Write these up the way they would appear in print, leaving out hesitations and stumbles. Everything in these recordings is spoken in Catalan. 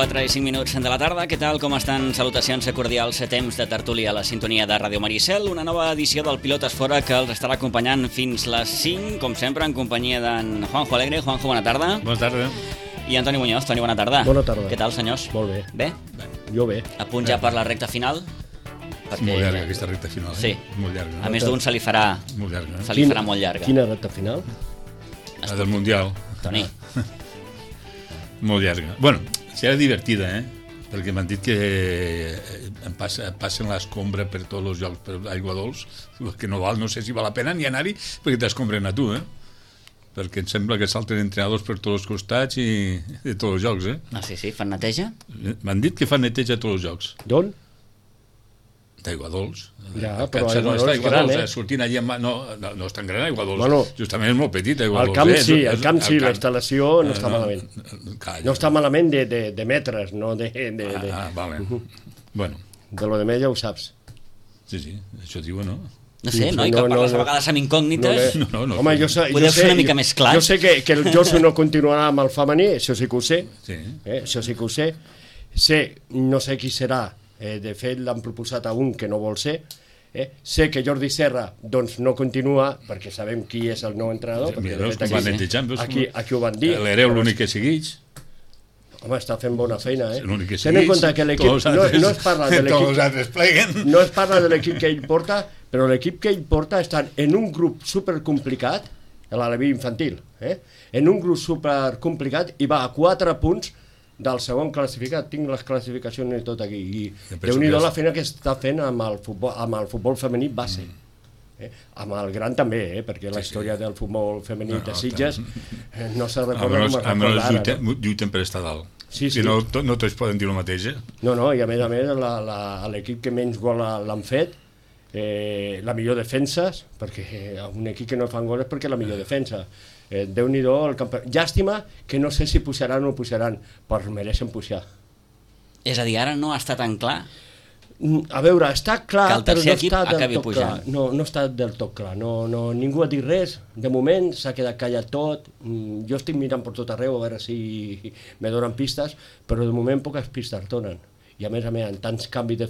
4 i 5 minuts de la tarda. Què tal? Com estan? Salutacions cordials a temps de tertúlia a la sintonia de Ràdio Maricel. Una nova edició del Pilotes Fora que els estarà acompanyant fins les 5, com sempre, en companyia d'en Juanjo Alegre. Juanjo, bona tarda. Bona tarda. I Antoni Muñoz. Toni, bona tarda. Bona tarda. Què tal, senyors? Molt bé. Bé? Jo bé. A punt ja per la recta final? És molt llarga aquesta recta final, Sí. Molt llarga. A més d'un se li farà... Molt llarga, Se li farà molt llarga. Quina recta final? La del Mundial. Toni. Molt llarga. Bueno, serà divertida, perquè m'han dit que passen l'escombra per tots els jocs per aigua dolç, que no sé si val la pena ni anar-hi perquè t'escombren a tu, perquè em sembla que salten entrenadors per tots els costats i de tots els jocs, Ah, sí, fan neteja? M'han dit que fan neteja a tots els jocs. D'on? D'aigua dolç. Ja, A però Catxa aigua no dolç està aigua gran, dolç, sortint allà no és tan gran aigua dolç. Bueno, justament és molt petit aigua Al dolç. camp sí, al camp sí, la instal·lació no està malament. Calla. No està malament de metres, no de Vale. Bueno, de lo de més ja ho saps. sí, això diuen, no? No sé, Sí, no? I que parles a vegades amb incògnites. No. Home, Podeu ser una mica més clar. Jo sé que el Josu no continuarà amb el femení, això sí que ho sé. Sí. Això sí que ho sé. Sé, no sé qui serà, de fet l'han proposat a un que no vol ser. Sé que Jordi Serra doncs no continua perquè sabem qui és el nou entrenador. Mira, perquè, veus com van netejant, veus aquí ho van dir. L'Hereu l'únic que segueix. Home, està fent bona feina, L'únic que Ten en compte que l'equip no es parla de tots l'equip, els altres pleguen. no es parla de l'equip que ell porta, però l'equip que ell porta està en un grup supercomplicat, l'Aleví infantil, en un grup supercomplicat i va a 4 punts del segon classificat. Tinc les classificacions i tot aquí, i Déu-n'hi-do la feina que està fent amb el futbol femení base. Amb el gran també, perquè la història del futbol femení de Sitges no se recorda com es recorda ara. Lluiten per estar dalt. Sí. Si no tots poden dir el mateix, No, i a més l'equip que menys gol l'han fet, la millor defenses, perquè un equip que no fan gols és perquè la millor defensa. Déu-n'hi-do el campió. Llàstima que no sé si pujaran o no pujaran, però mereixen pujar. És a dir, ara no està tan clar. A veure, està clar, Que el però tercer no equip està del acabi tot pujant. clar. No està del tot clar. Ningú ha dit res. De moment s'ha quedat callat tot. Jo estic mirant per tot arreu a veure si me donen pistes, però de moment poques pistes donen. I a més, en tants canvis de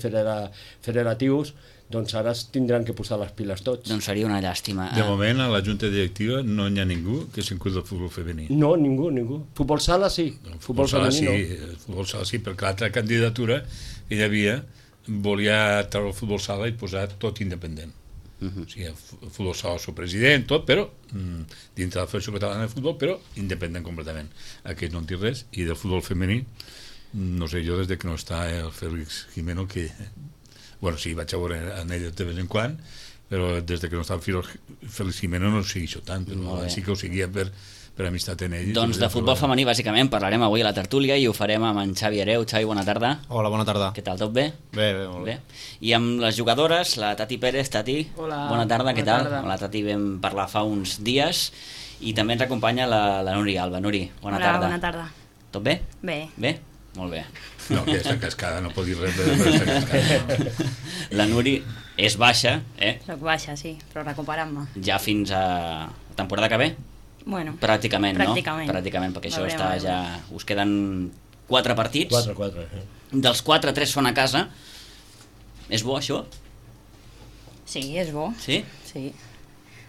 federatius, doncs ara es tindran que posar les piles tots. Doncs seria una llàstima. de moment a la junta directiva no hi ha ningú que s'encuida del futbol femení. No, ningú. Futbol sala sí, futbol sala femení sí, futbol sala sí, perquè l'altra candidatura que hi havia volia treure el futbol sala i posar tot independent. O sigui, el futbol sala el seu president, tot, però dintre de la Federació Catalana de Futbol, però independent completament. Aquest no en té res, i del futbol femení no sé jo, des de que no està el Félix Jimeno, que bueno, sí, vaig a veure en ell de vegades en quan, però des de que no està el Félix Jimeno no ho segueixo tant, però sí que ho seguia per amistat en ell. Doncs de futbol femení, bàsicament, parlarem avui a la tertúlia i ho farem amb en Xavi Hereu. Xavi, bona tarda. Hola, bona tarda. Què tal, tot bé? Bé, molt bé. I amb les jugadores, la Tati Pérez. Tati, hola, bona tarda, què bona tal? tarda. Amb la Tati vam parlar fa uns dies i també ens acompanya la Núria Alba. Nuri, bona Hola, tarda. bona tarda. Tot bé? Bé. Bé? Molt bé. No, que està cascada, no pot dir res, però està cascada. La Nuri és baixa, Soc baixa, sí, però recuperant-me. ja fins a la temporada que ve? Bueno, Pràcticament, Pràcticament. no? Pràcticament, perquè això Veurem, està veurem. ja... Us queden 4 partits. 4. Dels 4, 3 són a casa. És bo, això? sí, és bo. Sí? Sí.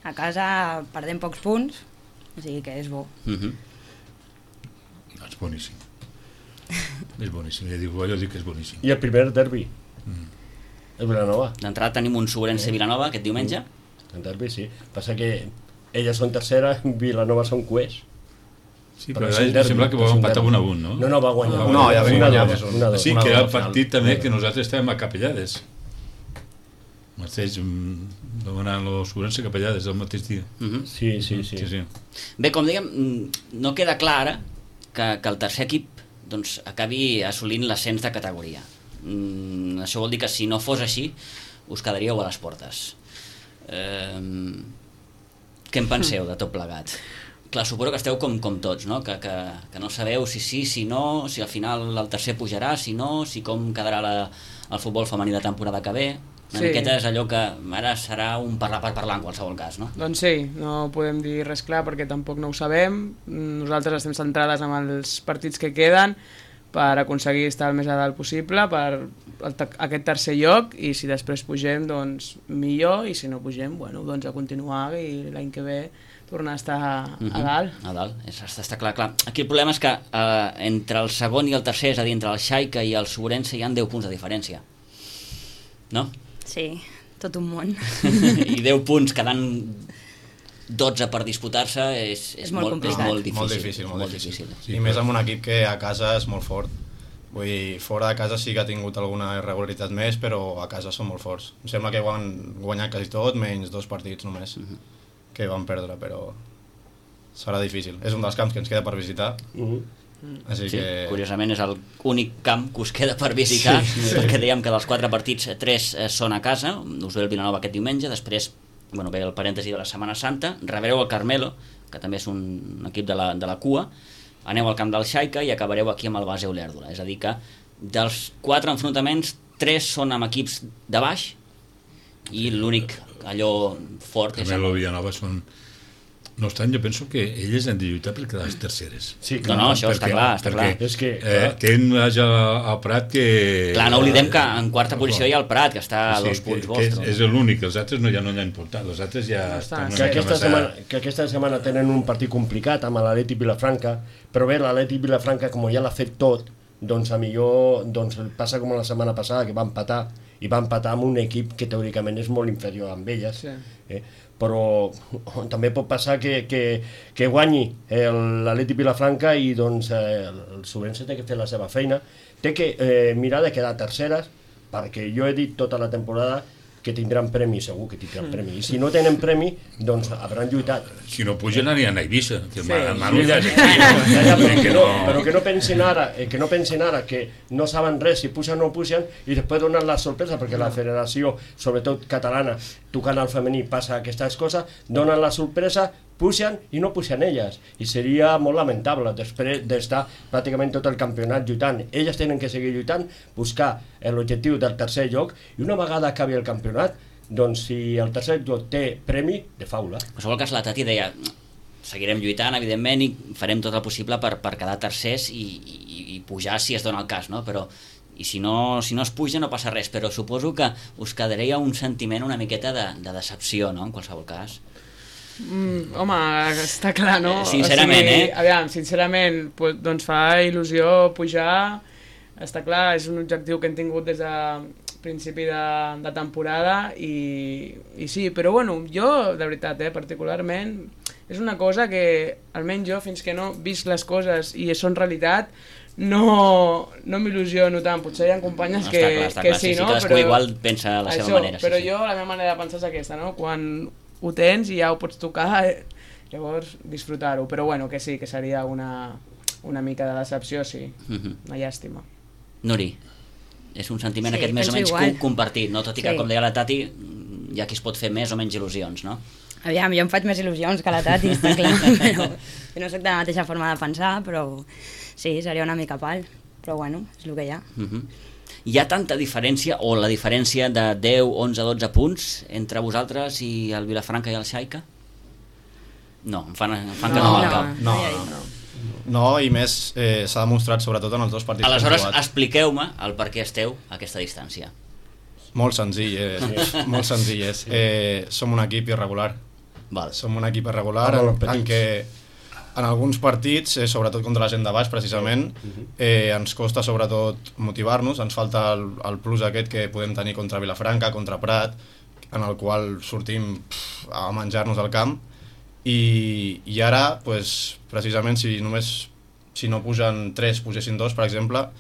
A casa perdem pocs punts, o sigui que és bo. És boníssim. És boníssim, jo dic que és boníssim. I el primer derbi, el Vilanova. D'entrada tenim un Sobrense Vilanova aquest diumenge. El derbi, sí. Passa que elles són tercera, Vilanova són cuers. Sí, Però però és un em derbi, sembla que és va un empatar derbi. 1-1, no? No, va guanyar. No, ja vam guanyar 1-2. Sí, una que era el al final. partit també que nosaltres estàvem a Capellades. Mateix, vam anar a l'Ossurense a Capellades el mateix dia. Sí. Bé, com dèiem, no queda clar ara que el tercer equip doncs, acabi assolint l'ascens de categoria. Això vol dir que si no fos així us quedaríeu a les portes. Què en penseu de tot plegat? Clar, suposo que esteu com tots, no? Que no sabeu si sí, si no, si al final el tercer pujarà, si no, si com quedarà el futbol femení de temporada que ve. Una miqueta és allò que ara serà un parlar per parlar en qualsevol cas, no? Doncs sí, no podem dir res clar perquè tampoc no ho sabem. Nosaltres estem centrades en els partits que queden, per aconseguir estar el més a dalt possible, per aquest tercer lloc, i si després pugem, doncs millor, i si no pugem, bueno, doncs a continuar i l'any que ve tornar a estar a dalt. A dalt, està clar. Aquí el problema és que entre el segon i el tercer, és a dir, entre el Xaica i el Sobrense, hi ha 10 punts de diferència. No? Sí, tot un món. I 10 punts quedant 12 per disputar-se és molt complicat. molt difícil. Sí, i més amb un equip que a casa és molt fort. Vull dir, fora de casa sí que ha tingut alguna irregularitat més, però a casa són molt forts. Em sembla que han guanyat quasi tot, menys 2 partits només, que van perdre, però serà difícil. És un dels camps que ens queda per visitar, així Sí, que... curiosament és l'únic camp que us queda per visitar, perquè dèiem que dels 4 partits 3 són a casa, us ve el Vilanova aquest diumenge, després ve el parèntesi de la Setmana Santa, rebreu el Carmelo, que també és un equip de la cua, aneu al camp del Xaica i acabareu aquí amb el Base Olèrdola. És a dir que dels 4 enfrontaments, 3 són amb equips de baix i l'únic allò fort és... Carmelo i Villanova són... No obstant, jo penso que elles han de lluitar per quedar les terceres. Sí, No, això està clar. És que, tenen al Prat que... Clar, no oblidem que en quarta posició hi ha el Prat, que està a 2 punts vostres. És l'únic, els altres ja no hi han portat, els altres ja estan... Que aquesta setmana tenen un partit complicat amb l'Atlètic Vilafranca, però bé, l'Atlètic Vilafranca, com ja l'ha fet tot, doncs a millor passa com la setmana passada, que va empatar amb un equip que teòricament és molt inferior amb elles, però també pot passar que guanyi l'Atlètic Vilafranca i doncs el Sobrense té que fer la seva feina, té que mirar de quedar terceres, perquè jo he dit tota la temporada que tindran premi, segur que tindran premi, i si no tenen premi, doncs hauran lluitat. Si no pugen aniran a Eivissa, que però que no pensin ara que no saben res si pugen o no pugen i després donen la sorpresa, perquè la federació, sobretot catalana, tocant al femení passa aquestes coses, donen la sorpresa, pugen i no pugen elles, i seria molt lamentable després d'estar pràcticament tot el campionat lluitant. Elles tenen que seguir lluitant, buscar l'objectiu del tercer lloc, i una vegada acabi el campionat, doncs si el tercer lloc té premi, de faula. En qualsevol cas, la Tati deia seguirem lluitant, evidentment, i farem tot el possible per quedar tercers i pujar si es dona el cas, no? Però i si no es puja no passa res, però suposo que us quedaria un sentiment una miqueta de decepció, no?, en qualsevol cas. Home, està clar, no? Sincerament, Aviam, sincerament, doncs fa il·lusió pujar, està clar, és un objectiu que hem tingut des de principi de temporada i sí, però bueno, jo, de veritat, particularment, és una cosa que, almenys jo, fins que no visc les coses i són realitat, no m'il·lusiono tant. Potser hi ha companyes que sí, no? Cadascú igual pensa a la seva manera. Però jo, la meva manera de pensar és aquesta, no? Quan ho tens i ja ho pots tocar, llavors disfrutar-ho, però bueno, que sí, que seria una mica de decepció, sí, una llàstima. Nuri, és un sentiment aquest més o menys compartit, no? Tot i que, com deia la Tati, hi ha qui es pot fer més o menys il·lusions, no? Aviam, jo em faig més il·lusions que la Tati, està clar, però no soc de la mateixa forma de pensar, però sí, seria una mica pal, però bueno, és el que hi ha. Hi ha tanta diferència, o la diferència de 10, 11, 12 punts entre vosaltres i el Vilafranca i el Xaica? No, em fan que no al cap. No, i més s'ha demostrat sobretot en els dos partits. Aleshores, expliqueu-me el per què esteu a aquesta distància. Molt senzill, molt senzill és. Som un equip irregular. Som un equip irregular en què en alguns partits, sobretot contra la gent de baix precisament, ens costa sobretot motivar-nos, ens falta el plus aquest que podem tenir contra Vilafranca, contra Prat, en el qual sortim a menjar-nos al camp, i ara, precisament, si no pugen 3, pugessin 2, per exemple,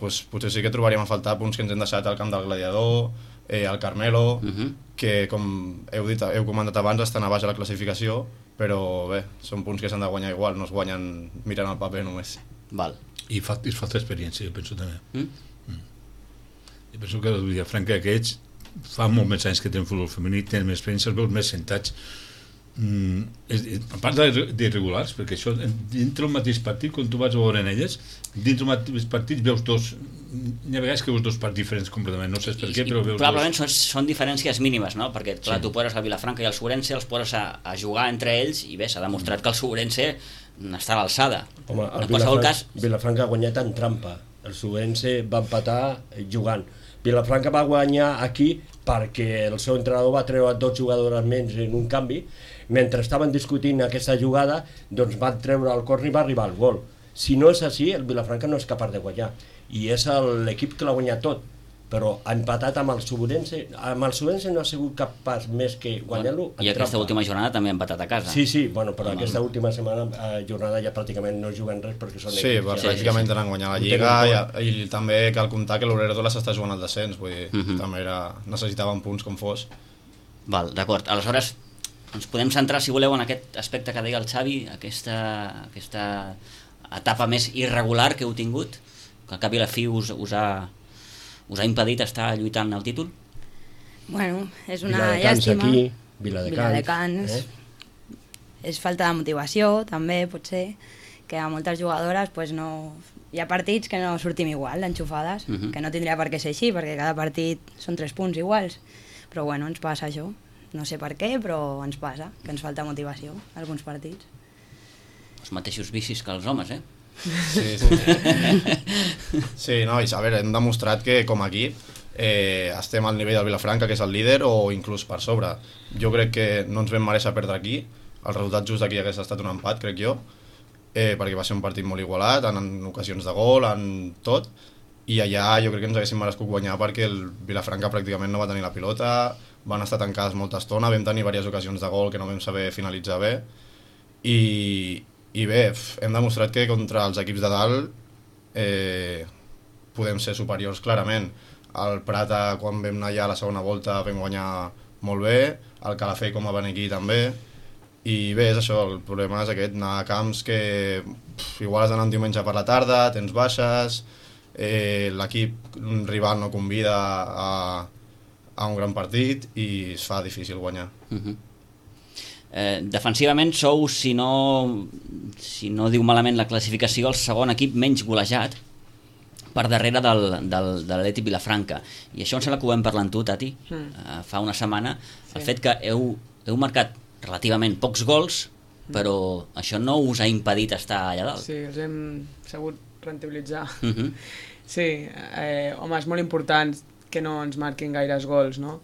potser sí que trobaríem a faltar punts que ens hem deixat al camp del Gladiador, al Carmelo, que com heu comentat abans estan a baix a la classificació, però bé, són punts que s'han de guanyar igual, no es guanyen mirant el paper només. I falta experiència, jo penso també. Jo penso que el Vilafranca aquests fa molt més anys que tenen futbol femení, tenen més experiència, els veus més sentats, a part d'irregulars, perquè això dintre el mateix partit, quan tu vas a veure en elles, dintre el mateix partit veus dos, hi ha vegades que veus dos partits diferents completament, no saps per què, però veus probablement són diferències mínimes, no? Perquè clar, tu poses el Vilafranca i el Sobrense, els poses a jugar entre ells i bé, s'ha demostrat que el Sobrense està a l'alçada. Home, En qualsevol cas... Vilafranca ha guanyat en trampa. El Subense va empatar jugant. Vilafranca va guanyar aquí perquè el seu entrenador va treure 2 jugadores menys en un canvi. Mentre estaven discutint aquesta jugada, doncs van treure el córner i va arribar el gol. Si no és així, el Vilafranca no és capaç de guanyar. I és l'equip que l'ha guanyat tot. Però ha empatat amb el Subense. Amb el Subense no ha sigut capaç més que guanyar-lo en I aquesta trampa. última jornada també ha empatat a casa. Sí, bueno, però aquesta última jornada ja pràcticament no juguen res perquè són Sí, pràcticament tenen guanyat la Lliga i també cal comptar que l'Obrero s'està jugant al descens, vull dir, també necessitaven punts com fos. Val, d'acord. Aleshores, ens podem centrar, si voleu, en aquest aspecte que deia el Xavi, aquesta etapa més irregular que heu tingut, que al cap i a la fi us ha impedit estar lluitant al títol? Bueno, és una Viladecans llàstima. aquí, Viladecans. És falta de motivació, també, potser, que a moltes jugadores pues, no... hi ha partits que no sortim igual, d'enxufades, que no tindria per què ser així, perquè cada partit són 3 punts iguals. Però bueno, ens passa això. No sé per què, però ens passa, que ens falta motivació a alguns partits. Els mateixos vicis que els homes, eh? Sí. Sí, no, i a veure, hem demostrat que com a equip estem al nivell del Vilafranca, que és el líder, o inclús per sobre. Jo crec que no ens vam mereixer perdre aquí. El resultat just d'aquí hagués estat un empat, crec jo, perquè va ser un partit molt igualat, en ocasions de gol, en tot, i allà jo crec que ens haguéssim merescut guanyar perquè el Vilafranca pràcticament no va tenir la pilota, van estar tancades molta estona, vam tenir diverses ocasions de gol que no vam saber finalitzar bé, i bé, hem demostrat que contra els equips de dalt podem ser superiors clarament. El Prata, quan vam anar allà a la segona volta, vam guanyar molt bé, el Calafell com a venir aquí també, i bé, és això, el problema és aquest, anar a camps que igual has d'anar un diumenge per la tarda, tens baixes, l'equip rival no convida a un gran partit i es fa difícil guanyar. Defensivament sou, si no diu malament la classificació, el segon equip menys golejat per darrere de l'Atlètic Vilafranca, i això em sembla que ho vam parlar amb tu, Tati, fa una setmana, el fet que heu marcat relativament pocs gols, però això no us ha impedit estar allà dalt. Sí, els hem sabut rentabilitzar. Sí, home, és molt important que no ens marquin gaires gols, no?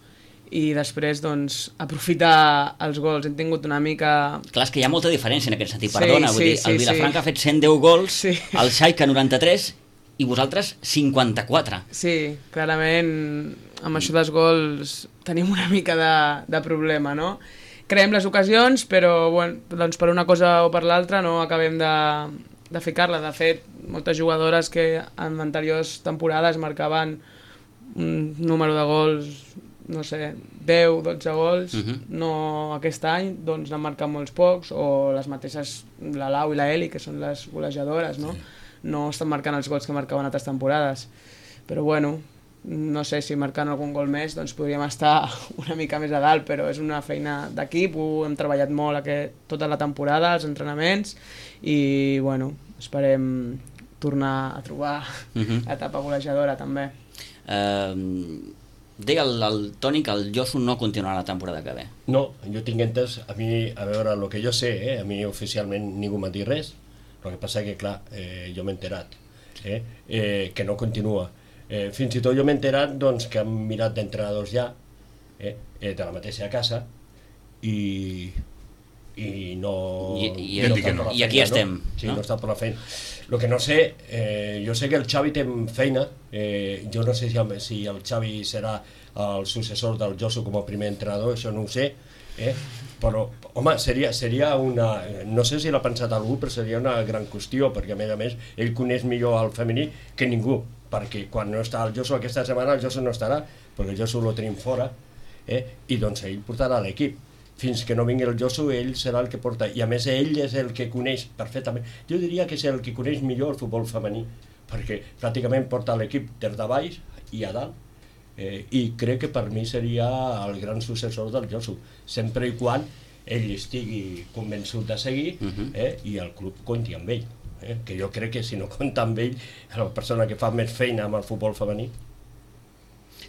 I després, doncs, aprofitar els gols. Hem tingut una mica... Clar, és que hi ha molta diferència en aquest sentit, perdona, vull dir, el Vilafranca ha fet 110 gols, el Xaica 93 i vosaltres 54. Sí, clarament, amb això dels gols tenim una mica de problema, no? Creem les ocasions, però bueno, doncs per una cosa o per l'altra no acabem de ficar-la. De fet, moltes jugadores que en anteriors temporades marcaven un número de gols, no sé, 10, 12 gols, no aquest any, doncs n'han marcat molts pocs, o les mateixes, la Lau i la Eli, que són les golejadores, no? No estan marcant els gols que marcaven altres temporades. Però bueno, no sé si marcant algun gol més doncs podríem estar una mica més a dalt, però és una feina d'equip, ho hem treballat molt tota la temporada, els entrenaments, i bueno, esperem tornar a trobar l'etapa golejadora també. Deia el Toni que el Josu no continuarà la temporada que ve. No, jo tinc entès, a mi, a veure, el que jo sé, a mi oficialment ningú m'ha dit res, el que passa que, clar, jo m'he enterat que no continua. Fins i tot jo m'he enterat doncs, que han mirat d'entrenadors ja, de la mateixa casa, i no... I aquí estem. Sí, no està per la feina. El que no sé, jo sé que el Xavi té feina, jo no sé si el Xavi serà el successor del Josu com a primer entrenador, això no ho sé, però, home, seria una... No sé si l'ha pensat algú, però seria una gran qüestió, perquè a més, ell coneix millor el femení que ningú, perquè quan no està el Josu aquesta setmana, el Josu no estarà, perquè el Josu lo tenim fora, i doncs ell portarà l'equip. Fins que no vingui el Josu, ell serà el que porta, i a més ell és el que coneix perfectament, jo diria que és el que coneix millor el futbol femení, perquè pràcticament porta l'equip des de baix i a dalt, i crec que per mi seria el gran successor del Josu, sempre i quan ell estigui convençut de seguir, i el club compti amb ell, que jo crec que si no compta amb ell, la persona que fa més feina amb el futbol femení,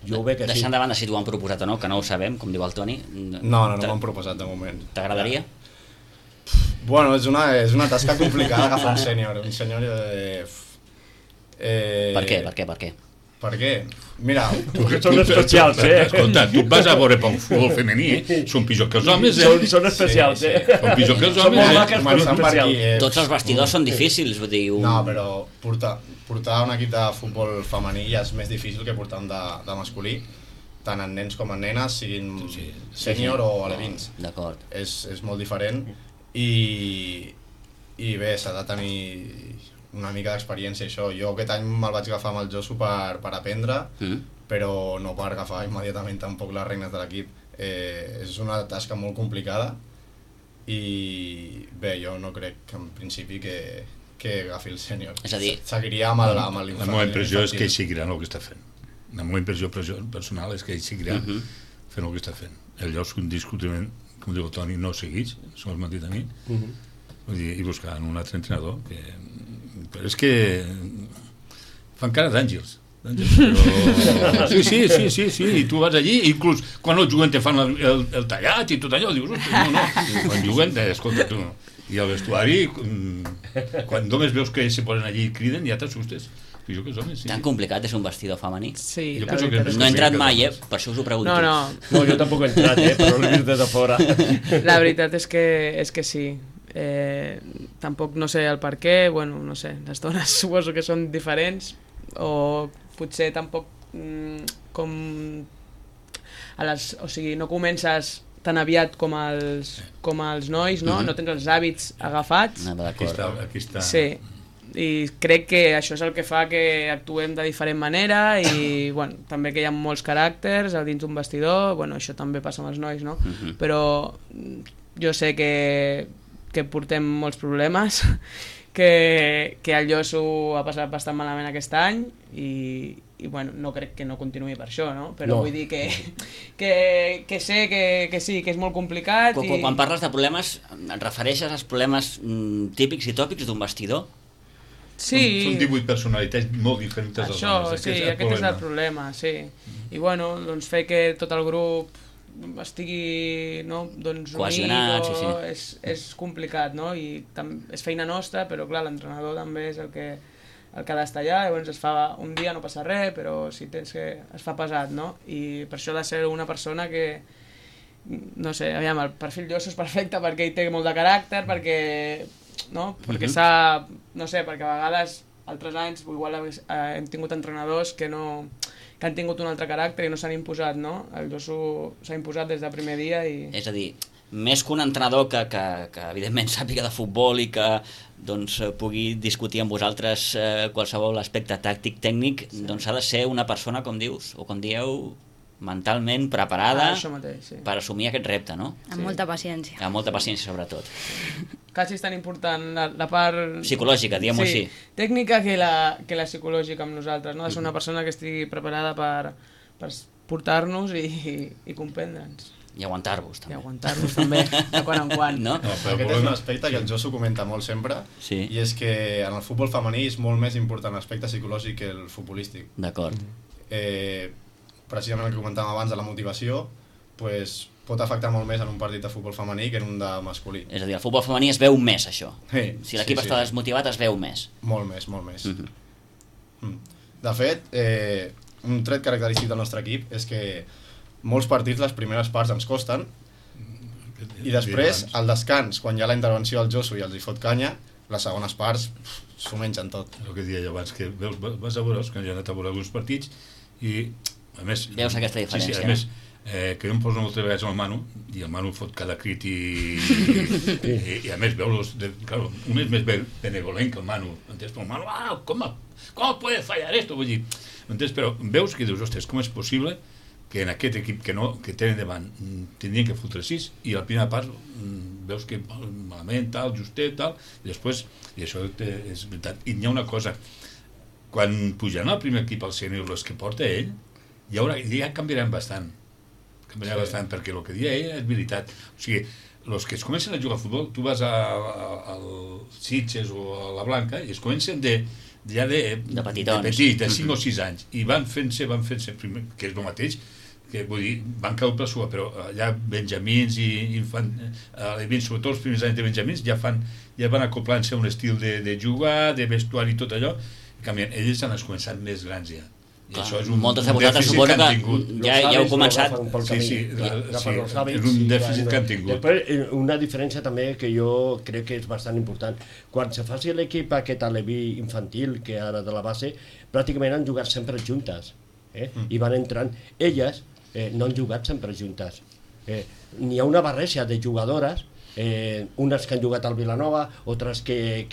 jo ho veig que sí. Deixant de banda si t'ho han proposat o no, que no ho sabem, com diu el Toni. No m'ho han proposat de moment. T'agradaria? Bueno, és una tasca complicada agafar un sènior. Un sènior... Per què? Per què? Mira... Són especials, Escolta, tu vas a veure pel futbol femení, són pitjor que els homes, Són especials, Són pitjor que els homes, molt maques, però especials. Tots els vestidors són difícils, vull dir... No, però portar un equip de futbol femení ja és més difícil que portar un de masculí, tant en nens com en nenes, siguin sènior o alevins. D'acord. És molt diferent i bé, s'ha de tenir una mica d'experiència, això. Jo aquest any me'l vaig agafar amb el Josu per aprendre, però no per agafar immediatament tampoc les regnes de l'equip. És una tasca molt complicada i bé, jo no crec que en principi que agafi el sènior. És a dir... Seguiria amb l'infantil. La meva impressió és que ell seguirà el que està fent. La meva impressió personal és que ell seguirà fent el que està fent. El lloc indiscutiblement, com diu el Toni, no segueix, s'ho has mentit a mi, vull dir, i buscaran un altre entrenador però és que fan cara d'àngels però... sí, i tu vas allí, inclús quan no juguen te fan el tallat i tot allò, dius, no, quan juguen, escolta tu, i al vestuari quan només veus que se posen allí i criden ja t'assustes. Tan complicat és un vestidor femení? Sí, no he entrat mai, per això us ho pregunto. No, jo tampoc he entrat, però l'he vist des de fora. La veritat és que sí. Tampoc no sé el per què, bueno, no sé, les dones suposo que són diferents o potser tampoc com o sigui, no comences tan aviat com els nois, no? No tens els hàbits agafats. Aquí està. Sí, i crec que això és el que fa que actuem de diferent manera i bueno, també que hi ha molts caràcters dins d'un vestidor, bueno, això també passa amb els nois, no? Però jo sé que portem molts problemes, que el Josu ha passat bastant malament aquest any i bueno, no crec que no continuï per això, no? Però vull dir que sé que sí, que és molt complicat. Quan parles de problemes, et refereixes als problemes típics i tòpics d'un vestidor? Sí. Són 18 personalitats molt diferents dels homes. Sí, aquest és el problema, sí. I bueno, doncs fer que tot el grup estigui doncs cohesionat, unit és complicat, no? I és feina nostra, però clar, l'entrenador també és el que ha d'estar allà, llavors es fa un dia, no passa res, però si tens que es fa pesat, no? I per això ha de ser una persona que no sé, aviam, el perfil Josu és perfecte perquè ell té molt de caràcter, perquè s'ha, no sé, perquè a vegades altres anys igual hem tingut entrenadors que han tingut un altre caràcter i no s'han imposat, no? El Josu s'ha imposat des del primer dia i... És a dir, més que un entrenador que evidentment sàpiga de futbol i que doncs, pugui discutir amb vosaltres qualsevol aspecte tàctic, tècnic, doncs ha de ser una persona, com dius, o com dieu, mentalment preparada per assumir aquest repte, no? Amb molta paciència. Amb molta paciència, sobretot. Quasi és tan important la part... psicològica, diguem-ho així. Tècnica que la psicològica amb nosaltres, no? Ha de ser una persona que estigui preparada per portar-nos i comprendre'ns. I aguantar-vos, també. I aguantar-vos, també, de quan en quan. No? Aquest és un aspecte que el Josu comenta molt sempre, i és que en el futbol femení és molt més important l'aspecte psicològic que el futbolístic. D'acord. Precisament el que comentàvem abans de la motivació, pot afectar molt més en un partit de futbol femení que en un de masculí. És a dir, el futbol femení es veu més, això. Si l'equip està desmotivat, es veu més. Molt més. De fet, un tret característic del nostre equip és que molts partits, les primeres parts ens costen, i després, al descans, quan hi ha la intervenció del Josu i els hi fot canya, les segones parts s'ho mengen tot. El que deia jo abans, que vas a veure, quan ja he anat a veure alguns partits, i a més... Veus aquesta diferència. A més, que jo em poso moltes vegades el Manu, i el Manu fot cada crit i a més veus, claro, un és més benevolent que el Manu, entens? Però el Manu, com puede fallar esto? Vull dir, entens? Però veus que dius, ostres, com és possible que en aquest equip que tenen davant tindrien que fotre 6 i a la primera part veus que malament, tal, justet, tal, i després, i això és veritat, i n'hi ha una cosa, quan pujaran al primer equip al sènior els que porta ell, ja canviaran bastant, perquè el que deia ell és veritat. O sigui, els que es comencen a jugar a futbol, tu vas al Sitges o a la Blanca i es comencen de petitons, de 5 o 6 anys, i van fent-se, que és el mateix que vull dir, van caure per sua, però allà benjamins i alevins, sobretot els primers anys de benjamins, ja van acoplant-se a un estil de jugar, de vestuari i tot allò, i canvien, ells han començat més grans ja. I això és un dèficit que han tingut. Ja heu començat. Sí, és un dèficit que han tingut. Després, una diferència també que jo crec que és bastant important. Quan se faci l'equip aquest aleví infantil, que ara de la base, pràcticament han jugat sempre juntes. I van entrant. Elles no han jugat sempre juntes. N'hi ha una barreja de jugadores, unes que han jugat al Vilanova, altres que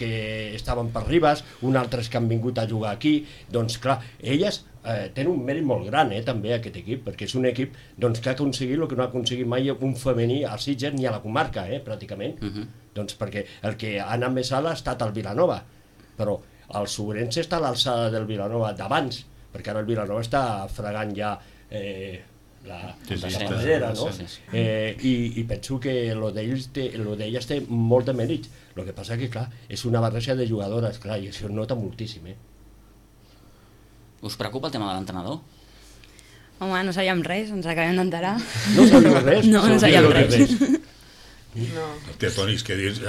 estaven per Ribes, unes altres que han vingut a jugar aquí. Doncs clar, elles tenen un mèrit molt gran també aquest equip, perquè és un equip doncs, que ha aconseguit el que no ha aconseguit mai un femení a Sitges ni a la comarca, pràcticament. Doncs perquè el que ha anat més alt ha estat el Vilanova, però el Sobrense està a l'alçada del Vilanova d'abans, perquè ara el Vilanova està fregant ja la paradera, no? I penso que lo d'elles té molt de mèrit. El que passa que, clar, és una barreja de jugadores, clar, i això es nota moltíssim, Us preocupa el tema de l'entrenador? Home, no sabíem res, ens acabem d'enterar. No sabíem res? No sabíem res. No. Té tònics que dius...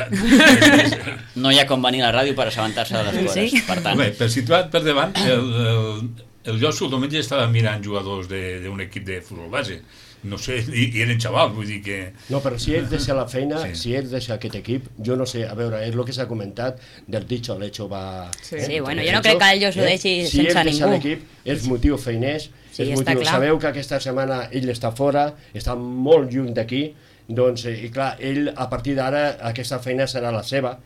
No hi ha com venir a la ràdio per assabentar-se de les coses, per tant. Bé, per situat per davant, el Josu el diumenge estava mirant jugadors d'un equip de futbol base. No sé, i eren xavals, vull dir que... No, però si ells deixa la feina, si ells deixa aquest equip, jo no sé, a veure, és el que s'ha comentat del dicho al hecho va... Sí, bueno, jo no crec que el Josu deixi sense ningú. Si ells deixa l'equip, és motiu feiners, és motiu... Sabeu que aquesta setmana ell està fora, està molt lluny d'aquí, doncs, i clar, ell a partir d'ara aquesta feina serà la seva,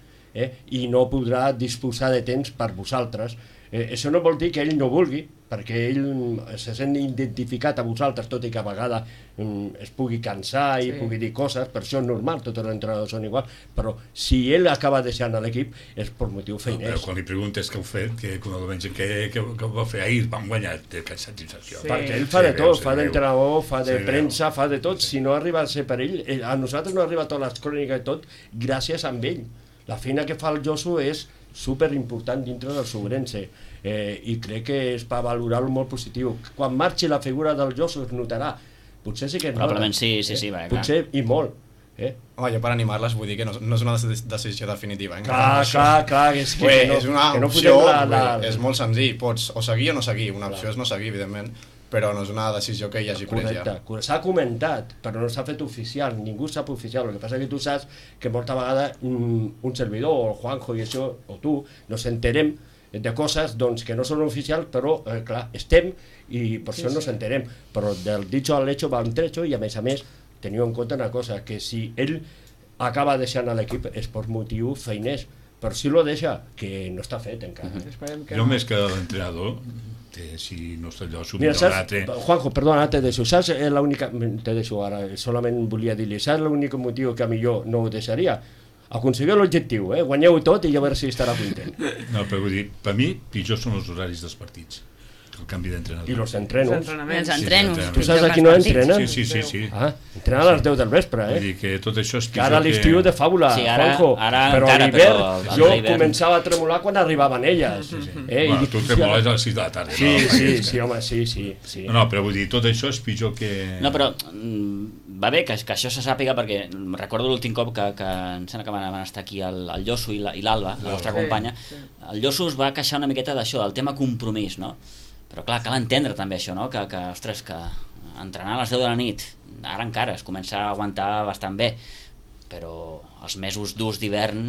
i no podrà disposar de temps per vosaltres. Això no vol dir que ell no vulgui, perquè ell se sent identificat a vosaltres, tot i que a vegada es pugui cansar i pugui dir coses, per això és normal, tots els entrenadors són igual, però si ell acaba deixant l'equip és per motiu feiners. Però quan li preguntes què heu fet, què ho va fer ahir, vam guanyar, té aquesta sensació. Perquè ell fa de tot, fa d'entrenador, fa de premsa, fa de tot, si no arriba a ser per ell, a nosaltres no arriba totes les cròniques i tot, gràcies a ell. La feina que fa el Josu és superimportant dintre del Sobrense, i crec que és per valorar-lo molt positiu. Quan marxi la figura del Josu es notarà, potser sí que es nota. Probablement sí, va, clar. Potser i molt. Home, jo per animar-les vull dir que no és una decisió definitiva. Clar, és que és una opció, és molt senzill, pots o seguir o no seguir, una opció és no seguir, evidentment, però no és una decisió que hi hagi pres ja. Correcte, s'ha comentat, però no s'ha fet oficial, ningú sap oficial, el que passa que tu saps que molta vegada un servidor, o el Juanjo i això, o tu, nos enterem de coses doncs, que no són oficials, però clar, estem i per això no s'enterem, però del dicho al hecho va un trecho i a més teniu en compte una cosa, que si ell acaba deixant l'equip és per motiu feiners, però si lo deixa, que no està fet encara. Jo més que l'entrenador, si no està allò subit a l'altre... Juanjo, perdona, te deixo, saps l'única... Te deixo ara, solament volia dir-li, saps l'únic motiu que a millor no ho deixaria? Aconseguir l'objectiu, guanyeu tot i a veure si estarà content. No, però vull dir, per mi, pitjor són els horaris dels partits, el canvi d'entrenador. I els entrenos. Els entrenos. Tu saps a qui no entrenen? Sí. Entrenen a les 10 del vespre, Vull dir que tot això és pitjor que... Ara l'estiu de fàbula, Juanjo, però a l'hivern jo començava a tremolar quan arribaven elles. Tu tremoles a les 6 de la tarda. Sí, home, sí. No, però vull dir, tot això és pitjor que... No, però va bé que això se sàpiga, perquè recordo l'últim cop que em sembla que van estar aquí el Josu i l'Alba, la nostra companya. El Josu es va queixar una miqueta d'això, del tema compromís, no? Però clar, cal entendre també això, no? Que ostres, que entrenar a les 10 de la nit, ara encara es comença a aguantar bastant bé, però els mesos durs d'hivern...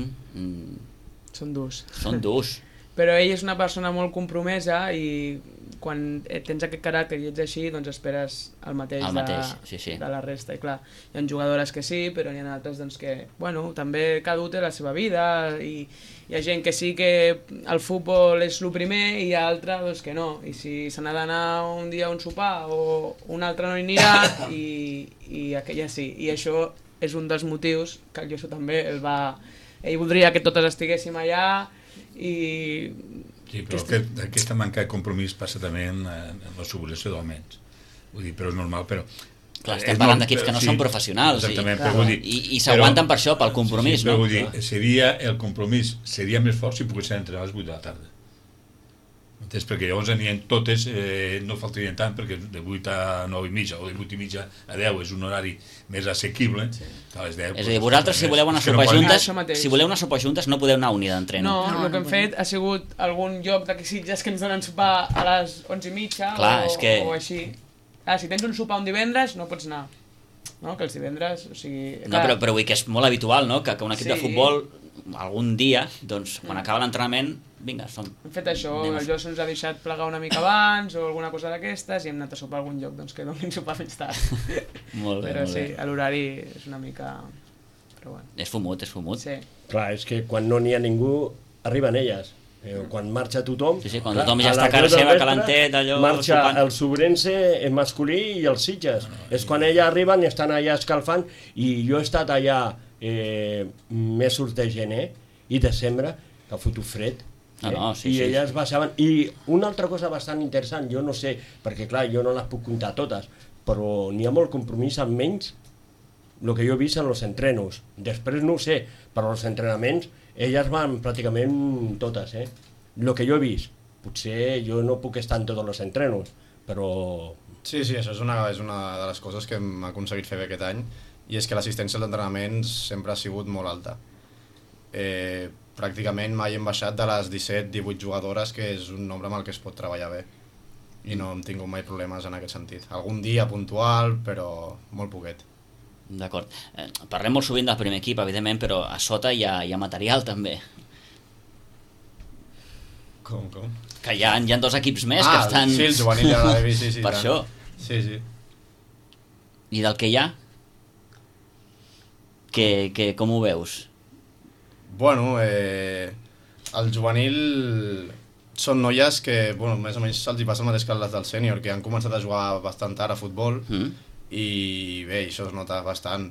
Són durs. Però ell és una persona molt compromesa i quan tens aquest caràcter i ets així, doncs esperes el mateix de la resta. I clar, hi ha jugadores que sí, però n'hi ha altres doncs, que, bueno, també cada un té la seva vida i hi ha gent que sí que el futbol és el primer i hi ha altra doncs, que no. I si se n'ha d'anar un dia a un sopar o un altre no hi anirà i aquella sí. I això és un dels motius que el Josu també ell voldria que totes estiguéssim allà i... Sí, però aquesta manca de compromís passa també en la subvenció d'almenys. Vull dir, però és normal, però... Clar, estem parlant d'equips que no són professionals i s'aguanten per això, pel compromís, no? Però vull dir, el compromís seria més fort si poguessin entrenar a les 8 de la tarda. Perquè llavors anirien totes, no faltarien tant, perquè de 8 a 9 i mitja o de 8 i mitja a 10 és un horari més assequible, que a les 10... És a dir, vosaltres si voleu anar a sopar juntes, si voleu anar a sopar juntes no podeu anar a unida d'entreno. No, el que hem fet ha sigut algun lloc d'aquí Sitges que ens donen sopar a les 11 i mitja o així. Si tens un sopar un divendres no pots anar, no? Que els divendres, o sigui... No, però vull dir que és molt habitual, no? Que un equip de futbol algun dia, doncs, quan acaba l'entrenament, vinga, som... Hem fet això, el Josu ens ha deixat plegar una mica abans o alguna cosa d'aquestes i hem anat a sopar a algun lloc, doncs que donin sopar fins tard. Molt bé, però molt sí, bé. l'horari és una mica... Però bueno. És fumut. Sí. Clar, és que quan no n'hi ha ningú, arriben elles. Quan marxa tothom... Sí, quan tothom ja està a casa seva, calentet, allò... Marxa el Sobrense masculí i els Sitges. És quan elles arriben i estan allà escalfant, i jo he estat allà mesos de gener i desembre, que ha fotut fred, i elles baixaven. I una altra cosa bastant interessant, jo no sé, perquè clar, jo no les puc comptar totes, però n'hi ha molt compromís amb menys el que jo he vist en els entrenos. Després no ho sé, però els entrenaments elles van pràcticament totes, el que jo he vist. Potser jo no puc estar en tots els entrenos, però... Sí, això és una de les coses que hem aconseguit fer bé aquest any, i és que l'assistència als entrenaments sempre ha sigut molt alta. Pràcticament mai hem baixat de les 17-18 jugadores, que és un nombre amb el que es pot treballar bé, i no hem tingut mai problemes en aquest sentit. Algun dia puntual, però molt poquet. D'acord. Parlem molt sovint del primer equip, evidentment, però a sota hi ha material també. Com? Que hi ha 2 equips més que estan... Sí, el juvenil i la Devi, sí. Per tant. Això. Sí. I del que hi ha? Com ho veus? Bueno, el juvenil són noies que, bueno, més o menys se'ls hi passa el mateix que les del sènior, que han començat a jugar bastant tard a futbol, i bé, això es nota bastant.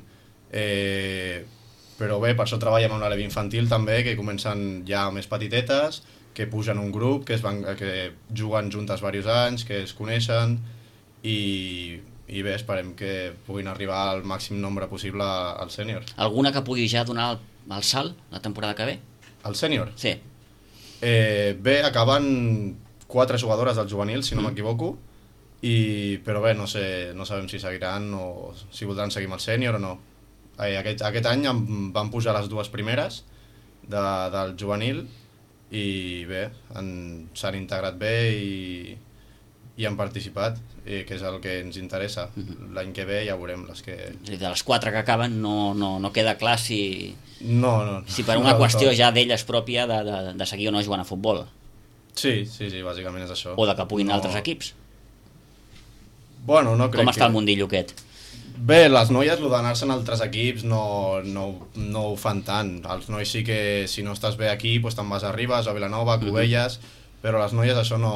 Però bé, per això treballem amb la Levi infantil també, que comencen ja més petitetes, que pugen un grup, que juguen juntes diversos anys, que es coneixen, i bé, esperem que puguin arribar al màxim nombre possible al sènior. Alguna que pugui ja donar el salt la temporada que ve? El sènior? Sí. Bé, acaben 4 jugadores del juvenil, si no m'equivoco, però bé, no sabem si seguiran o si voldran seguir amb el sènior o no. Aquest any van pujar les 2 primeres del juvenil i bé, s'han integrat bé i han participat, que és el que ens interessa. L'any que ve ja veurem les que... De les 4 que acaben no queda clar si... No. Si per una qüestió ja d'elles pròpia de seguir o no jugant a futbol. Sí, bàsicament és això. O de que puguin altres equips. Bueno, no crec que... Com està el mundillo aquest? Bé, les noies, el d'anar-se'n a altres equips no ho fan tant. Els nois sí que si no estàs bé aquí, doncs te'n vas a Ribes, a Vilanova, a Cubelles, però les noies això no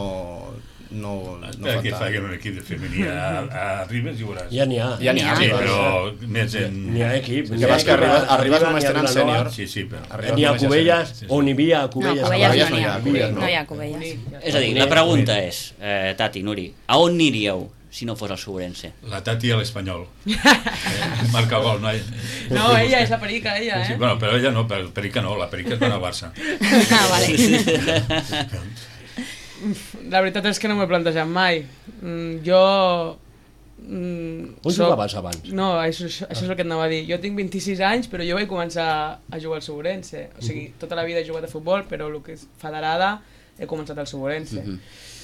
fan que tant. facin un equip de femení a Ribes i veuràs. Ja n'hi ha. Sí, però més en... N'hi ha equip. El que passa que a Ribes només tenen sènior. Sí, però... N'hi ha a Cubelles, on hi havia a Cubelles. No, Cubelles no hi ha Cubelles. És a dir, la pregunta és, Tati, Nuri, a on aniríeu si no fos el Sobrense? La Tati a l'Espanyol. Marca gol, no? No, ella és la Perica, ella, Sí, bueno, però ella no, Perica no, la Perica és van a Barça. Vale. La veritat és que no m'ho he plantejat mai. Jo... On jugaves abans? No, això és el que et anava a dir. Jo tinc 26 anys, però jo vaig començar a jugar al Sobrense. O sigui, tota la vida he jugat a futbol, però el que és federada he començat al Sobrense.